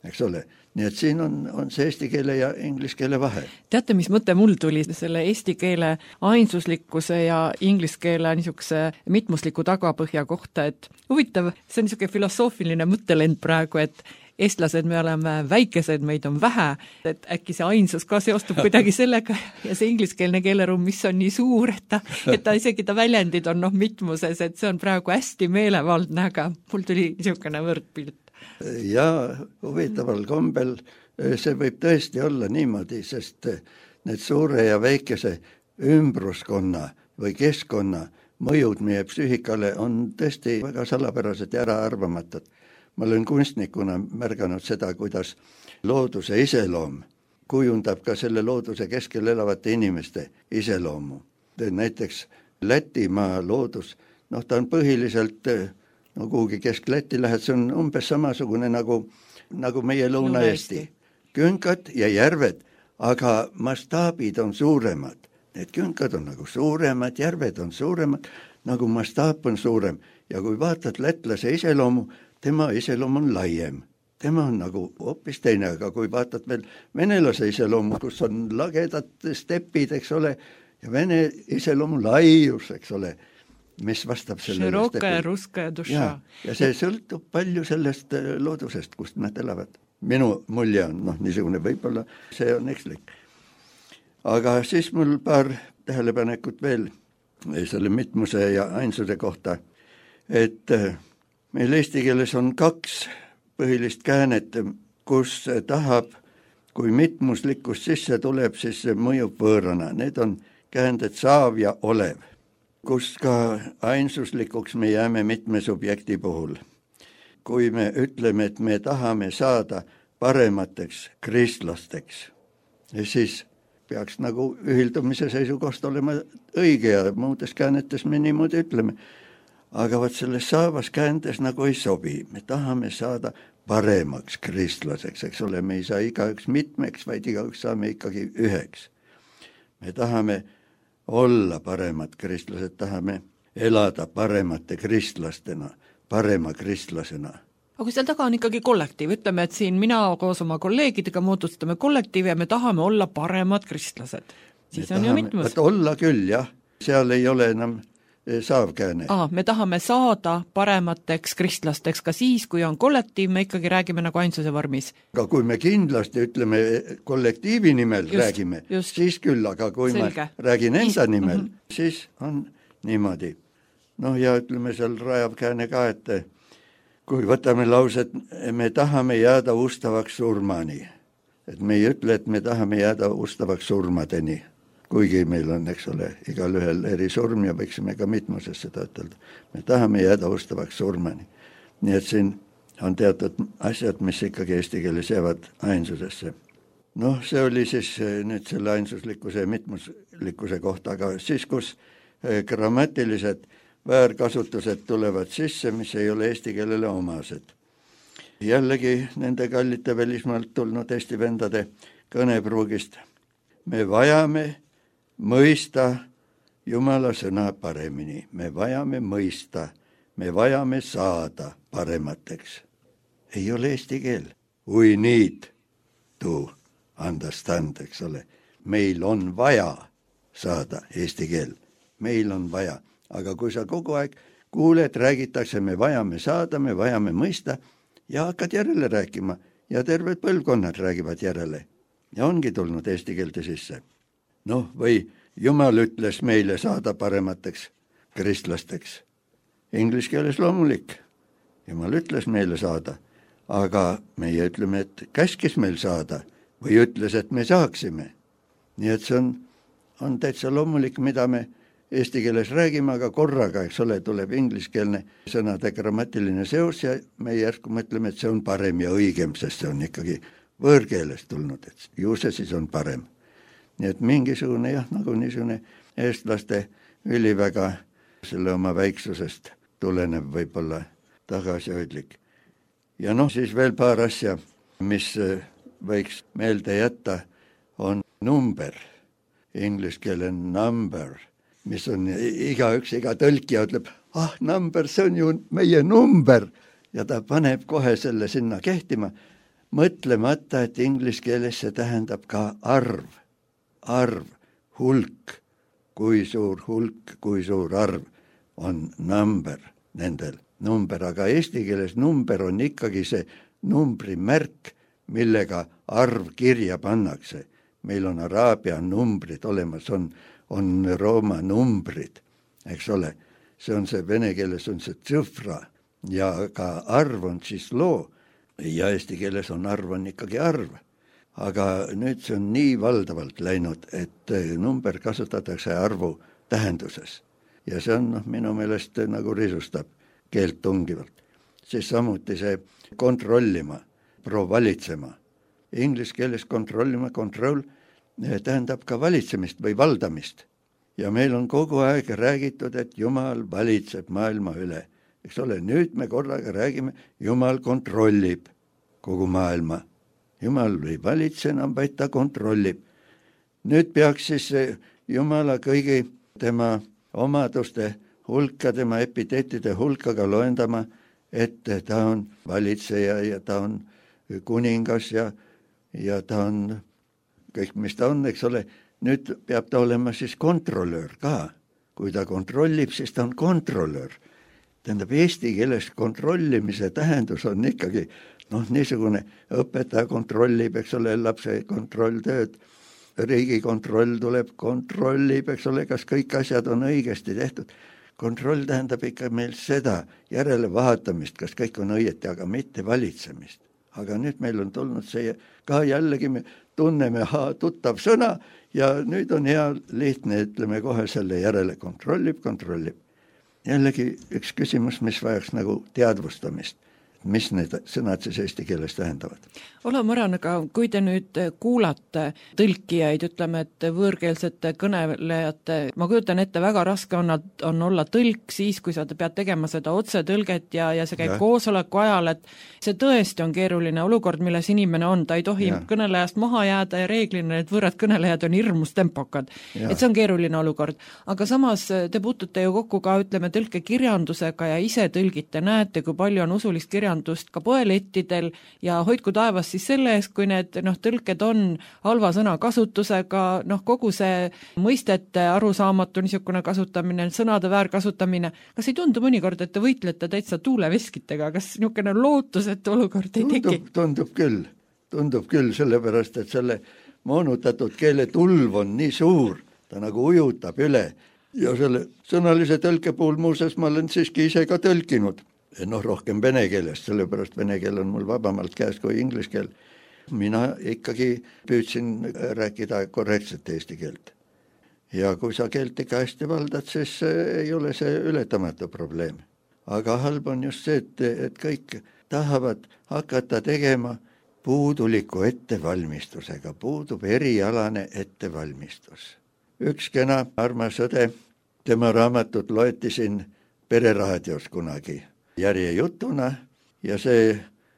eks ole. Nii et siin on see eesti keele ja inglise keele vahe. Teate, mis mõte mul tuli selle eesti keele ainsuslikkuse ja inglise keele niisuguse mitmusliku tagapõhja kohta, et huvitav, see on niisugune filosoofiline mõttelend praegu, et eestlased, me oleme väikesed, meid on vähe, et äkki see ainsus ka seostub kuidagi sellega ja see ingliskeelne keeleruum, mis on nii suur, et ta isegi ta väljendid on mitmuses, et see on praegu hästi meelevaldne, aga mul tuli niisugune võrdpilt. Ja huvitaval kombel see võib tõesti olla niimoodi, sest need suure ja väikese ümbruskonna või keskkonna mõjud meie psüühikale on tõesti väga salapärased ja äraarvamatud. Ma olen kunstnikuna märganud seda, kuidas looduse iseloom kujundab ka selle looduse keskel elavate inimeste iseloomu. Näiteks Lätimaa loodus, ta on põhiliselt kuhugi kesk-Läti lähed, see on umbes samasugune nagu meie Lõuna-Eesti. Künkad ja järved, aga mastaabid on suuremad. Need künkad on nagu suuremad, järved on suuremad, nagu mastaap on suurem. Ja kui vaatad lätlase iseloomu, tema iseloom on laiem. Tema on nagu hoopis teine, aga kui vaatad veel venelase iseloomu, kus on lagedad stepid, eks ole, ja vene iseloomu laius, eks ole, mis vastab sellele Široka ja ruska ja duša. Ja see sõltub palju sellest loodusest, kust nad elavad. Minu mulje on, niisugune võib-olla, see on ekslik. Aga siis mul paar tähelepanekut veel selle mitmuse ja ainsuse kohta, et meil eesti keeles on 2 põhilist käänet, kus tahab, kui mitmuslikkus sisse tuleb, siis see mõjub võõrana. Need on käänded saav ja olev, kus ka ainsuslikuks me jääme mitme subjekti puhul. Kui me ütleme, et me tahame saada paremateks kristlasteks, siis peaks nagu ühildumise seisukohast olema õige ja muudes käänetes me niimoodi ütleme. Aga vaat selles saavas käändes nagu ei sobi. Me tahame saada paremaks kristlaseks, eks ole, me ei saa igaüks mitmeks, vaid igaüks saame ikkagi üheks. Me tahame olla paremad kristlased, tahame elada paremate kristlastena, parema kristlasena. Aga kui seal taga on ikkagi kollektiiv, ütleme, et siin mina koos oma kolleegidega moodustame kollektiivi ja me tahame olla paremad kristlased. Siis on ju mitmus. Olla küll, jah. Seal ei ole enam saavkääne. Me tahame saada paremateks kristlasteks ka siis, kui on kollektiiv, me ikkagi räägime nagu ainsuse vormis. Aga kui me kindlasti ütleme kollektiivi nimel räägime, siis küll, aga kui Selge. Ma räägin enda nimel, siis on niimoodi. Ja ütleme seal rajav kääne ka, et kui võtame lauset, me tahame jääda ustavaks surmani. Et me ei ütle, et me tahame jääda ustavaks surmadeni. Kuigi meil on, eks ole, igal ühel eri surm ja võiksime ka mitmuses seda ütelda. Me tahame jääda ustavaks surmani. Nii et siin on teatud asjad, mis ikkagi eesti keeles jäävad ainsusesse. See oli siis nüüd selle ainsuslikkuse ja mitmuslikkuse kohta, aga siis, kus grammatilised väärkasutused tulevad sisse, mis ei ole eesti keelele omased. Jällegi nende kallite välismaalt tulnud eesti vendade kõnepruugist. Me vajame mõista Jumala sõna paremini. Me vajame mõista, me vajame saada paremateks. Ei ole eesti keel. We need to understand, eks ole. Meil on vaja saada eesti keel. Meil on vaja. Aga kui sa kogu aeg kuuled, räägitakse, me vajame saada, me vajame mõista ja hakkad järele rääkima ja terved põlvkonnad räägivad järele. Ja ongi tulnud eesti keelde sisse. Või Jumal ütles meile saada paremateks kristlasteks. Inglise keeles loomulik. Jumal ütles meile saada, aga meie ütleme, et käskis meil saada või ütles, et me saaksime. Nii et see on täitsa loomulik, mida me eesti keeles räägime, aga korraga, eks ole, tuleb ingliskeelne sõnade grammatiline seos ja me järsku mõtleme, et see on parem ja õigem, sest see on ikkagi võõrkeelest tulnud, et ju see siis on parem. Nii et mingisugune jah, nagu niisugune eestlaste üliväga selle oma väiksusest tulenev võib-olla tagasihoidlik. Ja siis veel paar asja, mis võiks meelde jätta, on number, inglise keele number, mis on igaüks, iga tõlkija ütleb, number, see on ju meie number ja ta paneb kohe selle sinna kehtima, mõtlemata, et inglise keeles see tähendab ka arv, hulk, kui suur hulk, kui suur arv on number nendel. Number, aga eesti keeles number on ikkagi see numbrimärk, millega arv kirja pannakse. Meil on araabia numbrid olemas, on rooma numbrid, eks ole. See on see vene keeles on see tsõfra ja ka arv on siis loo ja eesti keeles on arv on ikkagi arv. Aga nüüd see on nii valdavalt läinud, et number kasutatakse arvu tähenduses. Ja see on minu meelest nagu risustab keelt tungivalt. Siis samuti see kontrollima, valitsema. Inglise keeles kontrollima, control tähendab ka valitsemist või valdamist. Ja meil on kogu aeg räägitud, et Jumal valitseb maailma üle. Eks ole, nüüd me korraga räägime, Jumal kontrollib kogu maailma. Jumal ei valitse enam, vaid ta kontrollib. Nüüd peaks siis Jumala kõigi tema omaduste hulka, tema epiteetide hulkaga loendama, et ta on valitseja ja ta on kuningas ja ta on kõik, mis ta on, eks ole. Nüüd peab ta olema siis kontrollöör ka. Kui ta kontrollib, siis ta on kontrollöör. Tähendab, eesti keeles kontrollimise tähendus on ikkagi niisugune õpetaja kontrollib, eks ole, lapse kontrolltööd, riigikontroll tuleb, kontrollib, eks ole, kas kõik asjad on õigesti tehtud. Kontroll tähendab ikka meil seda järelevaatamist, kas kõik on õieti, aga mitte valitsemist. Aga nüüd meil on tulnud see ka jällegi, me tunneme tuttav sõna ja nüüd on hea lihtne, ütleme kohe selle järele kontrollib. Jällegi üks küsimus, mis vajaks nagu teadvustamist. Mis need sõnad siis eesti keeles tähendavad? Ola Mõran, aga kui te nüüd kuulate tõlkijaid, ütleme, et võõrkeelsete kõnelejate, ma kujutan ette, väga raske on olla tõlk siis, kui sa pead tegema seda otsetõlget ja see käib koosoleku ajal, et see tõesti on keeruline olukord, milles inimene on, ta ei tohi kõnelejast maha jääda ja reeglina need võõrad kõnelejad on hirmus tempokad. Et see on keeruline olukord. Aga samas te puutute ju kokku ka, ütleme, tõlkekirjandusega ja ise tõlgite, näete, kui palju on usulist kirjandust ka poelettidel ja hoidku taevas siis selle eest, kui need tõlked on halva sõna kasutusega, kogu see mõistete arusaamatu niisugune kasutamine, sõnade väärkasutamine, kas ei tundu mõnikord, et te võitlete täitsa tuuleveskitega, kas niisugune lootusetu olukord ei teki? Tundub küll, sellepärast, et selle moonutatud keele tulv on nii suur, ta nagu ujutab üle ja selle sõnalise tõlke puhul muuseas ma olen siiski ise ka tõlkinud. Rohkem vene keelest, sellepärast vene keel on mul vabamalt käes kui inglise keel. Mina ikkagi püüdsin rääkida korrektset eesti keelt. Ja kui sa keelt ikka hästi valdad, siis ei ole see ületamatu probleem. Aga halb on just see, et kõik tahavad hakata tegema puuduliku ettevalmistusega, puudub erialane ettevalmistus. Üks kena armas õde, tema raamatut loeti siin Pereraadios kunagi järjejutuna ja see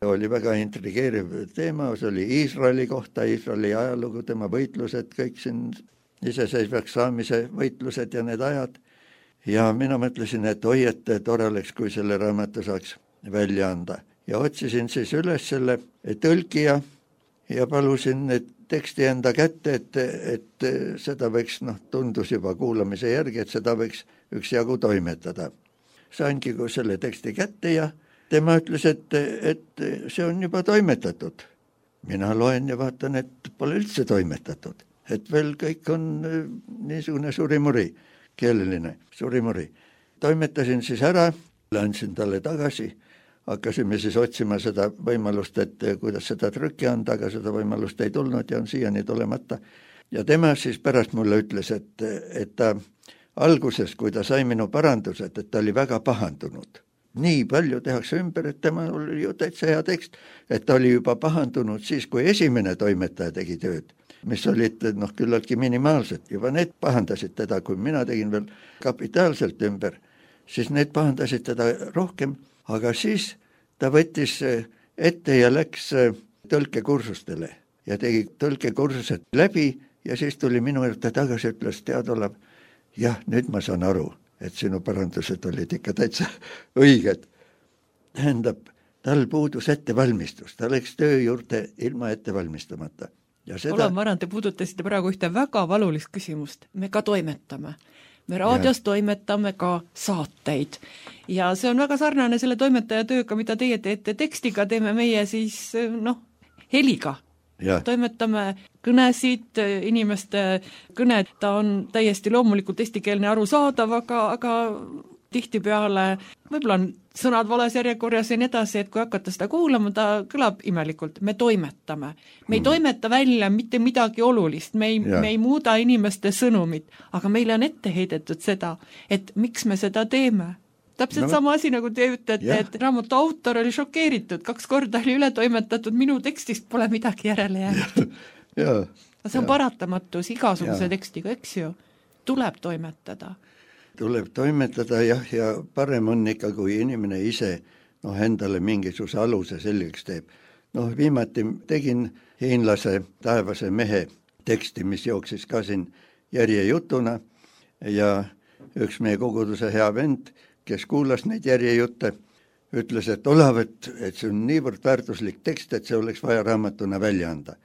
oli väga intrigeeriv teema, see oli Iisraeli kohta, Iisraeli ajalugu, tema võitlused, kõik siin iseseisvaks saamise võitlused ja need ajad. Ja mina mõtlesin, et oi, et tore oleks, kui selle raamatu saaks välja anda. Ja otsisin siis üles selle tõlkija ja palusin teksti enda kätte, et seda võiks, tundus juba kuulamise järgi, et seda võiks üksjagu toimetada. Saingi selle teksti kätte ja tema ütles, et see on juba toimetatud. Mina loen ja vaatan, et pole üldse toimetatud. Et veel kõik on niisugune surimuri, keeleline surimuri. Toimetasin siis ära, andsin talle tagasi, hakkasime siis otsima seda võimalust, et kuidas seda trükki anda, aga seda võimalust ei tulnud ja on siiani tulemata. Ja tema siis pärast mulle ütles, et ta alguses, kui ta sai minu parandused, et ta oli väga pahandunud. Nii palju tehakse ümber, et tema oli ju täitsa hea tekst, et ta oli juba pahandunud siis, kui esimene toimetaja tegi tööd, mis olid küllaltki minimaalsed. Juba need pahandasid teda, kui mina tegin veel kapitaalselt ümber, siis need pahandasid teda rohkem, aga siis ta võttis ette ja läks tõlkekursustele ja tegi tõlkekursused läbi ja siis tuli minu juurde tagasi, ütles tead Olav, jah, nüüd ma saan aru, et sinu parandused olid ikka täitsa õiged. Tähendab, tal puudus ettevalmistus, ta läks töö juurde ilma ettevalmistamata. Olav Marand, te puudutasite praegu ühte väga valulist küsimust. Me ka toimetame. Me raadios toimetame ka saateid. Ja see on väga sarnane selle toimetaja tööga, mida teie teete tekstiga, teeme meie siis, heliga. Ja. Toimetame kõnesid, inimeste kõned, ta on täiesti loomulikult eestikeelne arusaadav, aga tihtipeale võib-olla on sõnad vales järjekorras ja nii edasi, et kui hakata seda kuulama, ta kõlab imelikult. Me toimetame. Me ei toimeta välja mitte midagi olulist, me ei muuda inimeste sõnumit, aga meile on ette heidetud seda, et miks me seda teeme. Täpselt sama asi, nagu te ütlete, et raamatu autor oli šokeeritud, 2 korda oli üle toimetatud, minu tekstist pole midagi järele jäänud. See on paratamatus igasuguse tekstiga, eks ju, tuleb toimetada. Tuleb toimetada ja parem on ikka, kui inimene ise endale mingisuguse aluse selgeks teeb. Viimati tegin hiinlase Taevase mehe teksti, mis jooksis ka siin järjejutuna ja üks meie koguduse hea vend, kes kuulas neid järjejutte, ütles, et Olav, et see on niivõrd väärtuslik tekst, et see oleks vaja raamatuna välja anda.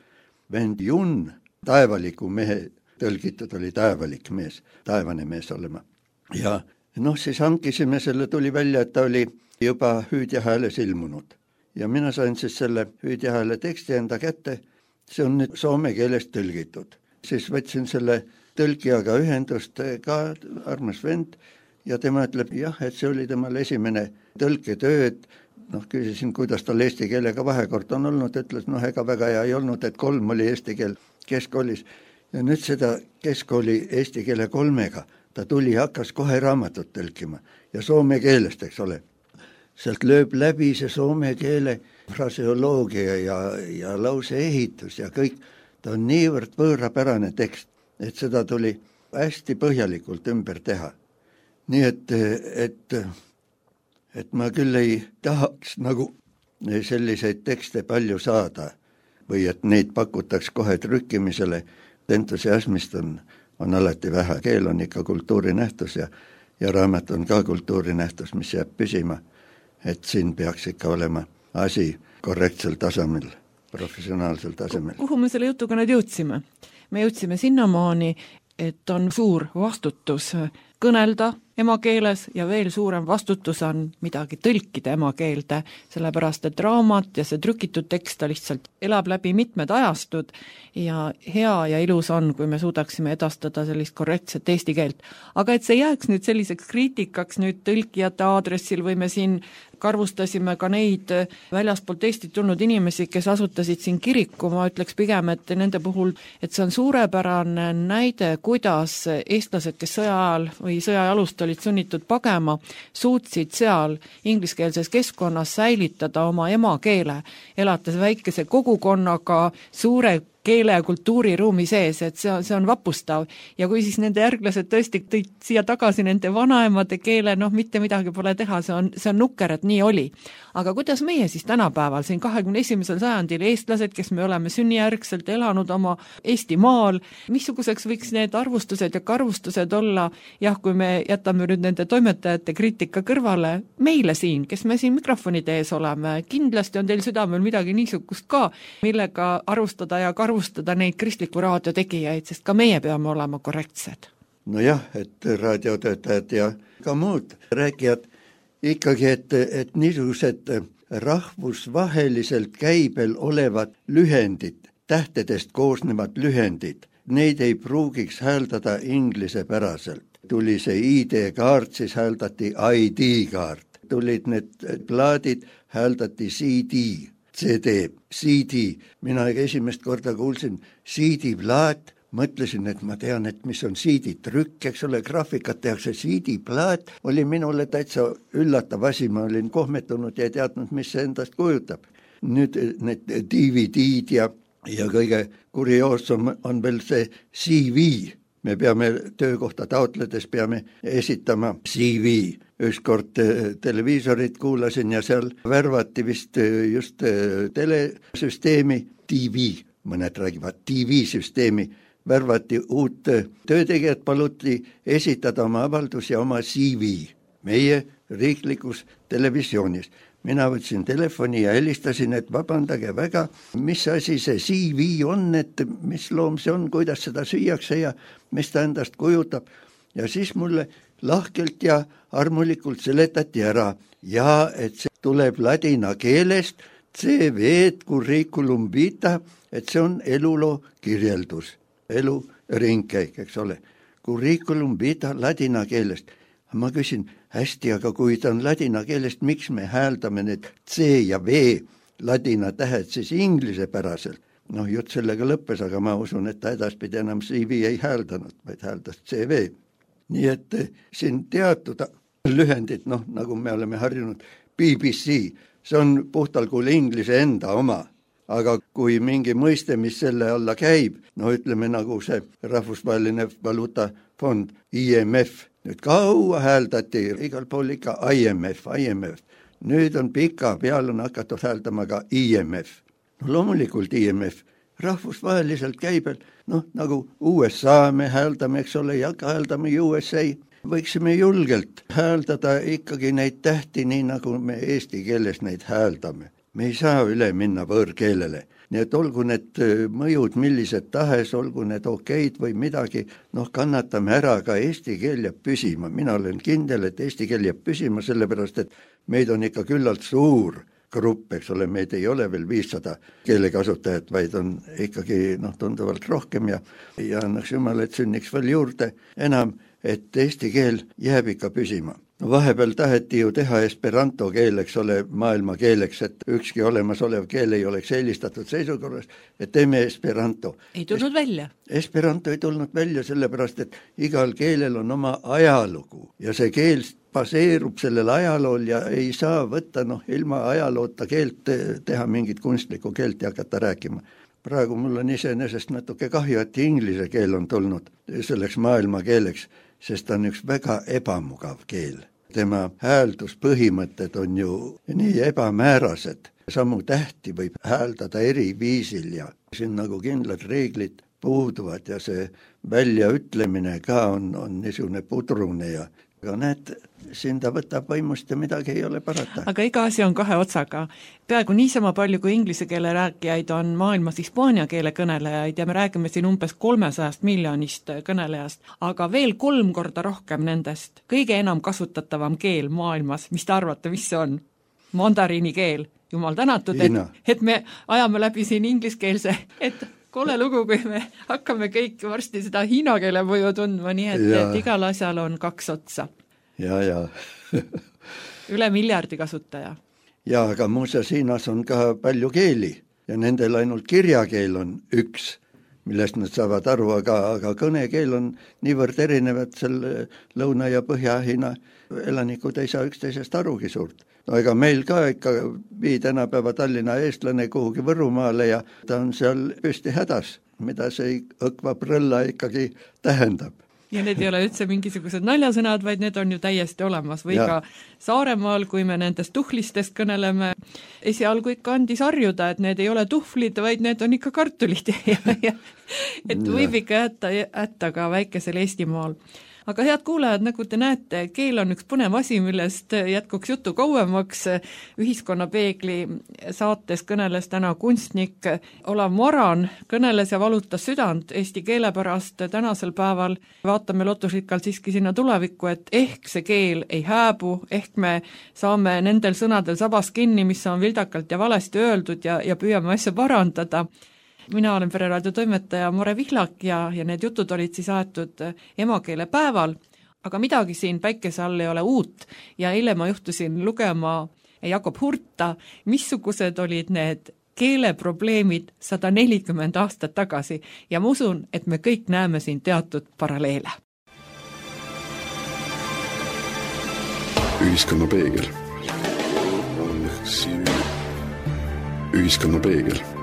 Vend Jun, taevaliku mehe tõlgitud, oli taevalik mees, taevane mees olema. Ja siis hankisime selle, tuli välja, et ta oli juba hüüdjahääles ilmunud. Ja mina sain siis selle hüüdjahääle teksti enda kätte, see on nüüd soome keelest tõlgitud. Siis võtsin selle tõlkijaga ühendust ka, armas vend, ja tema ütleb, et see oli temal esimene tõlketöö, et küsisin, kuidas tal eesti keelega vahekord on olnud, ütles, ega väga hea ei olnud, et 3 oli eesti keel keskkoolis. Ja nüüd seda keskkooli eesti keele 3-ga, ta tuli ja hakkas kohe raamatut tõlkima ja soome keelest, eks ole. Sealt lööb läbi see soome keele fraseoloogia ja lause ehitus ja kõik, ta on niivõrd võõrapärane tekst, et seda tuli hästi põhjalikult ümber teha. Nii et ma küll ei tahaks nagu selliseid tekste palju saada või et neid pakutaks kohe trükkimisele. Entusiasmist on alati vähe. Keel on ikka kultuurinähtus ja raamat on ka kultuurinähtus, mis jääb püsima. Et siin peaks ikka olema asi korrektsel tasemel, professionaalsel tasemel. Kuhu me selle jutuga nüüd jõudsime? Me jõudsime sinnamaani, et on suur vastutus kõnelda emakeeles ja veel suurem vastutus on midagi tõlkida emakeelde, sellepärast et raamat ja see trükitud tekst lihtsalt elab läbi mitmed ajastud ja hea ja ilus on, kui me suudaksime edastada sellist korrektset eesti keelt. Aga et see jääks nüüd selliseks kriitikaks nüüd tõlkijate aadressil või me siin karvustasime ka neid väljaspoolt Eestit tulnud inimesi, kes asutasid siin kiriku, ma ütleks pigem, et nende puhul, et see on suurepärane näide, kuidas eestlased, kes sõja ajal või sõja alust olid sunnitud pagema, suutsid seal ingliskeelses keskkonnas säilitada oma emakeele, elates väikese kogukonnaga suure keele ja kultuuriruumi sees, et see on vapustav. Ja kui siis nende järglased tõesti tõid siia tagasi nende vanaemade keele, mitte midagi pole teha, see on nukker, et nii oli. Aga kuidas meie siis tänapäeval, siin 21. sajandil eestlased, kes me oleme sünnijärgselt elanud oma Eesti maal, missuguseks võiks need arvustused ja karvustused olla, kui me jätame nüüd nende toimetajate kriitika kõrvale, meile siin, kes me siin mikrofonide ees oleme, kindlasti on teil südamel midagi niisugust ka, millega arvustada ja karvustada neid kristliku raadio tegijaid, sest ka meie peame olema korrektsed. Nojah, et raadiotöötajad ja ka muud rääkijad ikkagi, et niisugused rahvusvaheliselt käibel olevad lühendid, tähtedest koosnevad lühendid, neid ei pruugiks hääldada inglisepäraselt. Tuli see ID-kaart, siis hääldati ID-kaart. Tulid need plaadid, hääldati CD, CD. Mina esimest korda kuulsin CD-plaat, mõtlesin, et ma tean, et mis on CD-trükk, eks ole, graafikat tehakse, CD-plaat oli minule täitsa üllatav asi, ma olin kohmetunud ja ei teadnud, mis see endast kujutab. Nüüd need DVD-d ja kõige kurioossam on veel see CV. Me peame töökohta taotledes peame esitama CV. Ükskord televiisorit kuulasin ja seal värvati vist just telesüsteemi TV, mõned räägivad TV-süsteemi, värvati uut töötegijat, paluti esitada oma avaldus ja oma CV meie riiklikus televisioonis. Mina võtsin telefoni ja helistasin, et vabandage väga, mis asi see CV on, et mis loom see on, kuidas seda süüakse ja mis ta endast kujutab. Ja siis mulle lahkelt ja armulikult seletati ära ja et see tuleb ladina keelest, CV curriculum vitae, et see on eluloo kirjeldus, elu ringkäik, eks ole. Curriculum vitae ladina keelest. Ma küsin, hästi, aga kui ta on ladina keelest, miks me hääldame need C ja V ladina tähed siis inglisepäraselt? Noh, jutt sellega lõppes, aga ma usun, et ta edaspidi enam CV ei hääldanud, vaid hääldas CV. Nii et siin teatud lühendid, noh, nagu me oleme harjunud, BBC, see on puhtal kuul inglise enda oma. Aga kui mingi mõiste, mis selle alla käib, no ütleme nagu see rahvusvaheline valuutafond, IMF, nüüd kaua hääldati igal pool ikka IMF. Nüüd on pika peal on hakatud hääldama ka IMF. No loomulikult IMF, rahvusvaheliselt käibel, noh nagu USA me hääldame, eks ole, ja ka hääldame USA. Võiksime julgelt hääldada ikkagi neid tähti, nii nagu me eesti keeles neid hääldame. Me ei saa üle minna võõrkeelele. Nii et olgu need mõjud millised tahes, olgu need okeid või midagi, noh kannatame ära, ka eesti keel jääb püsima. Mina olen kindel, et eesti keel jääb püsima, sellepärast et meid on ikka küllalt suur grupp, eks ole, meid ei ole veel 500 keelekasutajat, vaid on ikkagi tunduvalt rohkem ja annaks jumal, et sünniks veel juurde enam, et eesti keel jääb ikka püsima. No vahepeal taheti ju teha esperanto keel, eks ole, maailma keeleks, et ükski olemasolev keel ei oleks eelistatud seisukorras, et teeme esperanto. Ei tulnud välja. Esperanto ei tulnud välja, sellepärast, et igal keelel on oma ajalugu ja see keel baseerub sellel ajalool ja ei saa võtta ilma ajaloota keelt teha mingit kunstlikku keelt ja hakata rääkima. Praegu mul on iseenesest natuke kahju, et inglise keel on tulnud selleks maailma keeleks, sest ta on üks väga ebamugav keel. Tema häälduspõhimõtted on ju nii ebamäärased. Samu tähti võib hääldada eri viisil ja siin nagu kindlad reeglid puuduvad ja see väljaütlemine ka on niisugune pudrune ja aga näed, siin ta võtab vaimust ja midagi ei ole parata. Aga iga asi on kahe otsaga. Peaaegu niisama palju kui inglise keele rääkijaid on maailmas hispaania keele kõnelejaid ja me räägime siin umbes 300 miljonist kõnelejast, aga veel 3 korda rohkem nendest. Kõige enam kasutatavam keel maailmas, mis te arvate, mis see on? Mandariini keel. Jumal tänatud, et me ajame läbi siin ingliskeelse, et kole lugu, kui me hakkame kõik varsti seda hiina keele mõju tundma, nii et igal asjal on 2 otsa. Ja. Üle 1 miljardi kasutaja. Ja, aga muuseas Hiinas on ka palju keeli ja nendel ainult kirjakeel on 1, millest nad saavad aru, aga kõnekeel on niivõrd erinevad, seal Lõuna- ja Põhja-Hiina elanikud ei saa üksteisest arugi suurt. No ega meil ka ikka vii tänapäeva Tallinna eestlane kuhugi Võrumaale ja ta on seal püsti hädas, mida see õkva prõlla ikkagi tähendab. Ja need ei ole üldse mingisugused naljasõnad, vaid need on ju täiesti olemas. Või ka Saaremaal, kui me nendest tuhlistest kõneleme, esialgu ikka andis harjuda, et need ei ole tuhvlid, vaid need on ikka kartulid. Et võib ikka jätta ka väikesel Eestimaal. Aga head kuulajad, nagu te näete, keel on üks põnev asi, millest jätkuks jutu kauemaks. Ühiskonnapeegli saates kõneles täna kunstnik Olav Moran, kõneles ja valutas südant eesti keele pärast tänasel päeval. Vaatame lootusrikkalt siiski sinna tulevikku, et ehk see keel ei hääbu, ehk me saame nendel sõnadel sabas kinni, mis on vildakalt ja valesti öeldud ja püüame asja parandada. Mina olen Pereraadio toimetaja Mare Vihlak ja need jutud olid siis aetud emakeele päeval, aga midagi siin päikese all ei ole uut ja eile ma juhtusin lugema Jakob Hurta, missugused olid need keeleprobleemid 140 aastat tagasi ja ma usun, et me kõik näeme siin teatud paralleele. Ühiskonna peegel. Ühiskonna peegel.